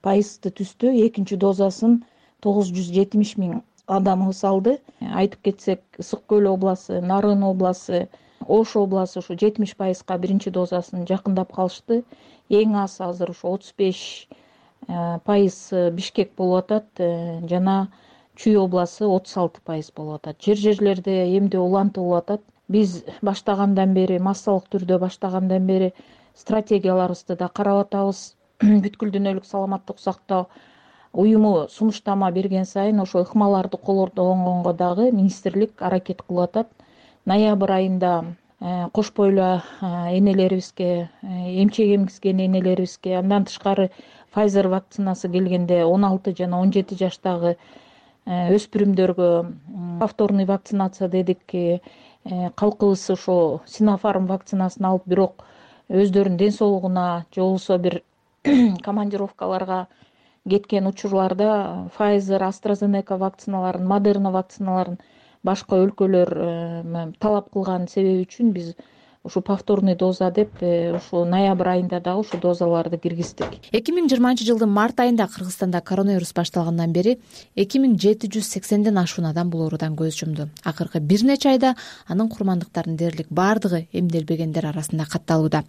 пайызды түздү. Экинчи дозасын тогуз жүз жетимиш миң адамыбыз алды. Айтып кетсек, Ысык Көл областы, Нарын областы, Ош областы ушу жетимиш пайызга биринчи дозасын жакындап калышты. Эң аз азыр ушу отуз беш пайыз Бишкек болуп атат жана Чүй областы отуз алты пайыз болуп атат. Жер жерлерде эмдөө улантылып атат. Биз баштагандан бери, массалык түрдө баштагандан бери стратегияларыбызды да карап атабыз. Бүткүл дүйнөлүк саламаттык сактоо уюму сунуштама берген сайын ошо ыкмаларды колдонгонго дагы министрлик аракет кылып атат. Ноябрь айында кош бойлуу энелерибизге, эмчек эмгизген энелерибизге, андан тышкары Pfizer вакцинасы келгенде он алты жана он жети жаштагы өспүрүмдөргө повторный вакцинация дедик. Калкыбыз ошо Синофарм вакцинасын алып, бирок өздөрүнүн ден соолугуна же болбосо бир командировкаларга кеткен учурларда Pfizer, AstraZeneca вакциналарын, Moderna вакциналарын башка өлкөлөр талап кылган себеби үчүн биз ушу повторный доза деп ушу ноябрь айында дагы ушу дозаларды киргиздик. эки миң жыйырманчы жылдын март айында Кыргызстанда коронавирус башталгандан бери эки миң жети жүз сексенден ашуун адам бул оорудан көз жумду. Акыркы бир нече айда анын курмандыктарынын дээрлик баардыгы эмделбегендер арасында катталууда.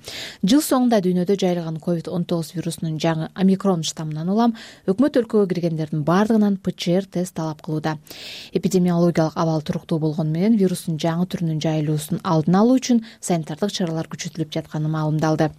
Жыл соңунда дүйнөдө жайылган ковид он тогуз вирусунун жаңы омикрон штаммынан улам өкмөт өлкөгө киргендердин баардыгынан ПЧР тест талап кылууда. Эпидемиологиялык абал туруктуу болгону менен вирустун жаңы түрүнүн жайылуусун алдын алуу үчүн санитардык чаралар күчөтүлүп жатканы маалымдалды.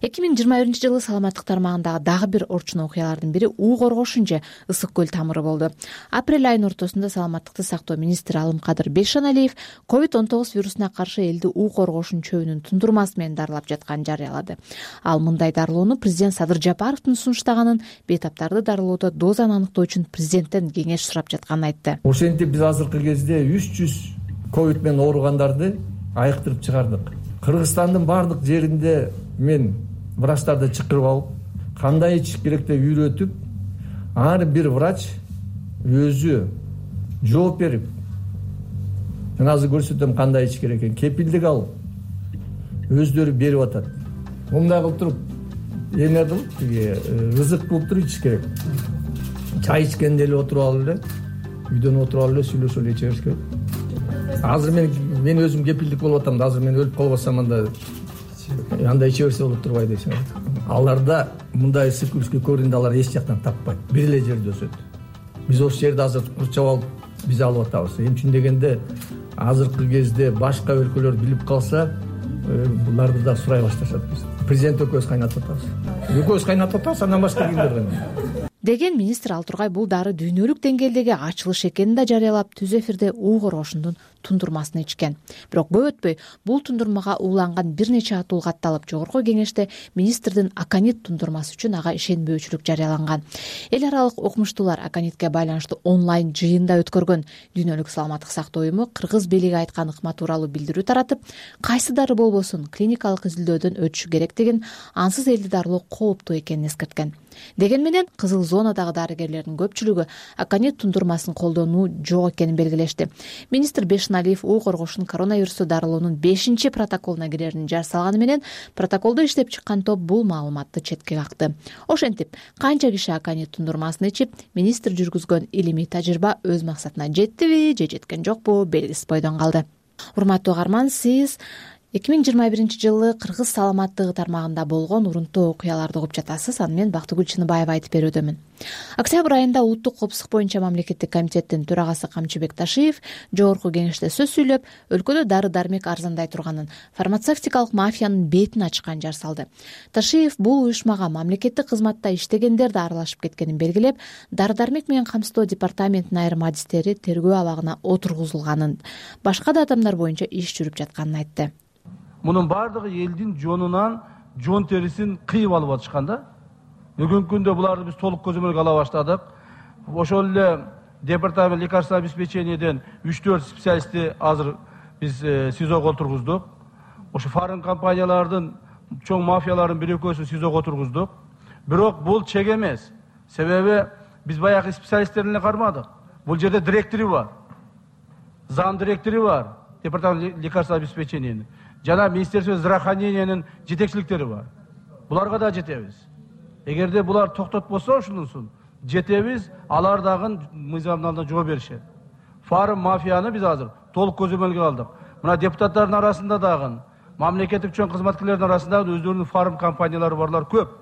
эки миң жыйырма биринчи жылы саламаттык тармагындагы дагы бир орчун окуялардын бири уу коргошун же ысык көл тамыры болду. Апрель айынын ортосунда саламаттыкты сактоо министри Алымкадыр Бейшаналиев ковид он тогуз вирусуна каршы элди уу коргошун чөбүнүн тундурмасы менен дарылап жатканын жарыялады. Ал мындай дарылоону президент Садыр Жапаровдун сунуштаганын, бейтаптарды дарылоодо дозаны аныктоо үчүн президенттен кеңеш сурап жатканын айтты. Ошентип биз азыркы кезде үч жүз ковид менен ооругандарды айыктырып чыгардык. Кыргызстандын баардык жеринде мен врачтарды чакырып алып, кандай ичиш керек деп үйрөтүп, ар бир врач өзү жооп берип, мен азыр көрсөтөм кандай ичиш керек экен, кепилдик алып, өздөрү берип атат. Мындай кылып туруп, эме кылып, тиги ызык кылып туруп ичиш керек. Чай ичкенде эле отуруп алып эле, үйдөн отуруп алып эле сүйлөшүп эле иче бериш керек. Азыр мен мен өзүм кепилдик болуп атам да, азыр мен өлүп калбасам анда андай иче берсе болуп турбайбы дейсиң. Аларда мындай циклический коренди алар эч жактан таппайт. Бир эле жерде өсөт. Биз ошол жерди азыр курчап алып, биз алып атабыз. Эмне үчүн дегенде, азыркы кезде башка өлкөлөр билип калса, буларды да сурай башташат биз. Президент экөөбүз кайнатып атабыз. Экөөбүз кайнатып атабыз, андан башка кимдер кайнатат? Деген министр ал тургай бул дары дүйнөлүк деңгээлдеги ачылыш экенин да жарыялап, түз эфирде уу коргошундун тундурмасын ичкен. Бирок көп өтпөй бул тундурмага ууланган бир нече атуу катталып, жогорку кеңеште министрдин аконит тундурмасы үчүн ага ишенбөөчүлүк жарыяланган. Эл аралык окумуштуулар аконитке байланыштуу онлайн жыйында өткөргөн. Дүйнөлүк саламаттык сактоо уюму кыргыз бийлиги айткан ыкма тууралуу билдирүү таратып, кайсы дары болбосун клиникалык изилдөөдөн өтүшү керек деген, ансыз элди дарылоо кооптуу экенин эскерткен. Деген менен кызыл зонадагы дарыгерлердин көпчүлүгү аконит тундурмасын колдонуу жок экенин белгилешти. Министр Бейшаналиев уу коргошун коронавирусту дарылоонун бешинчи протоколуна кирерин жар салганы менен протоколду иштеп чыккан топ бул маалыматты четке какты. Ошентип, канча киши аконит тундурмасын ичип, министр жүргүзгөн илимий тажрыйба өз максатына жеттиби же жеткен жокпу белгисиз бойдон калды. Урматтуу угарман, сиз эки миң жыйырма биринчи жылы кыргыз саламаттыгы тармагында болгон урунттуу окуяларды угуп жатасыз. Аны мен Бактыгүл Чыныбаева айтып берүүдөмүн. Октябрь айында Улуттук коопсуздук боюнча мамлекеттик комитеттин төрагасы Камчыбек Ташиев жогорку кеңеште сөз сүйлөп, өлкөдө дары-дармек арзандай турганын, фармацевтикалык мафиянын бетин ачкан жар салды. Ташиев бул уюшмага мамлекеттик кызматта иштегендер да аралашып кеткенин белгилеп, дары-дармек менен камсыздоо департаментинин айрым адистери тергөө абагына отургузулганын, башка да адамдар боюнча иш жүрүп жатканын айтты. Мунун баардыгы элдин жонунан жон терисин кыйып алып атышкан да. Бүгүнкү күндө буларды биз толук көзөмөлгө ала баштадык. Ошол эле департамент лекарственного обеспечениеден үч төрт специалистти азыр биз СИЗОго отургуздук. Ошо фарм компаниялардын чоң мафиялардын бир экөөсүн СИЗОго отургуздук. Бирок бул чек эмес. Себеби биз баягы специалисттерди эле кармадык. Бул жерде директору бар. Зам директору бар. Департамент лекарственного обеспечения. Жана Министерство здравоохранениянын жетекчиликтери бар. Буларга да жетебиз. Эгерде булар токтотпосо ушунусун жетебиз, алар дагы мыйзамдын алдында жооп беришет. Фарм мафияны биз азыр толук көзөмөлгө алдык. Мына депутаттардын арасында дагы, мамлекеттик чоң кызматкерлердин арасында өздөрүнүн фарм компаниялары барлар көп.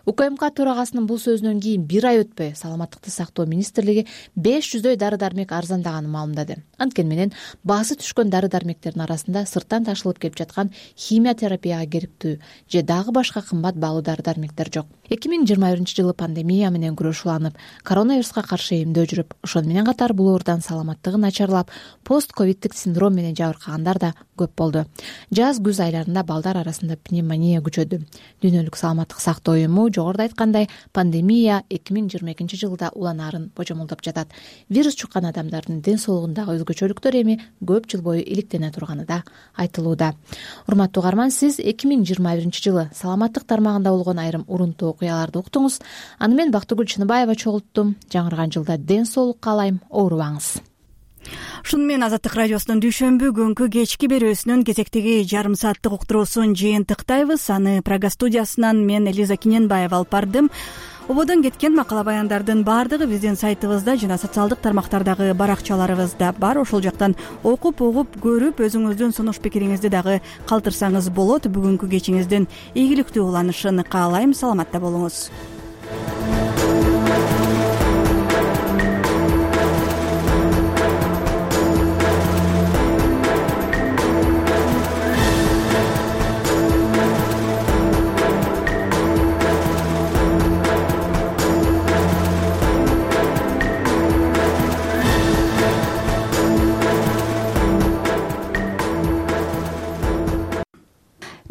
УКМК төрагасынын бул сөзүнөн кийин бир ай өтпөй саламаттыкты сактоо министрлиги беш жүздөй дары-дармек арзандаганын маалымдады. Анткени менен баасы түшкөн дары-дармектердин арасында сырттан ташылып келип жаткан химия терапияга керектүү же дагы башка кымбат баалуу дары-дармектер жок. эки миң жыйырма биринчи жылы пандемия менен күрөш уланып, коронавируска каршы эмдөө жүрүп, ошону менен катар бул оорудан саламаттыгы начарлап, пост-ковиддик синдром менен жабыркагандар да көп болду. Жаз-күз айларында балдар арасында пневмония күчөдү. Дүйнөлүк саламаттык сактоо уюму жогоруда айткандай, пандемия эки миң жыйырма экинчи жылда уланаарын божомолдоп жатат. Вирус чуккан адамдардын ден соолугундагы өзгөчөлүктөр эми көп жыл бою иликтене турганы да айтылууда. Урматтуу угарман, сиз эки миң жыйырма биринчи жылы саламаттык тармагында болгон айрым урунттуу окуяларды уктуңуз. Аны мен Бактыгүл Чыныбаева чогулттум. Жаңырган жылда ден соолук каалайм, оорубаңыз. ушуну менен Азаттык радиосунун дүйшөмбү күnkү кечки берүүсүнүн кезектеги жарым сааттык уктуруусун жыйынтыктайбыз. Аны Прага студиясынан мен Элиза Киненбаева алып бардым. Ободон кеткен макала баяндардын баардыгы биздин сайтыбызда жана социалдык тармактардагы баракчаларыбызда бар. Ошол жактан окуп, угуп, көрүп, өзүңүздүн сунуш пикириңизди дагы калтырсаңыз болот. Бүгүнкү кечиңиздин ийгиликтүү уланышын каалайм. Саламатта болуңуз.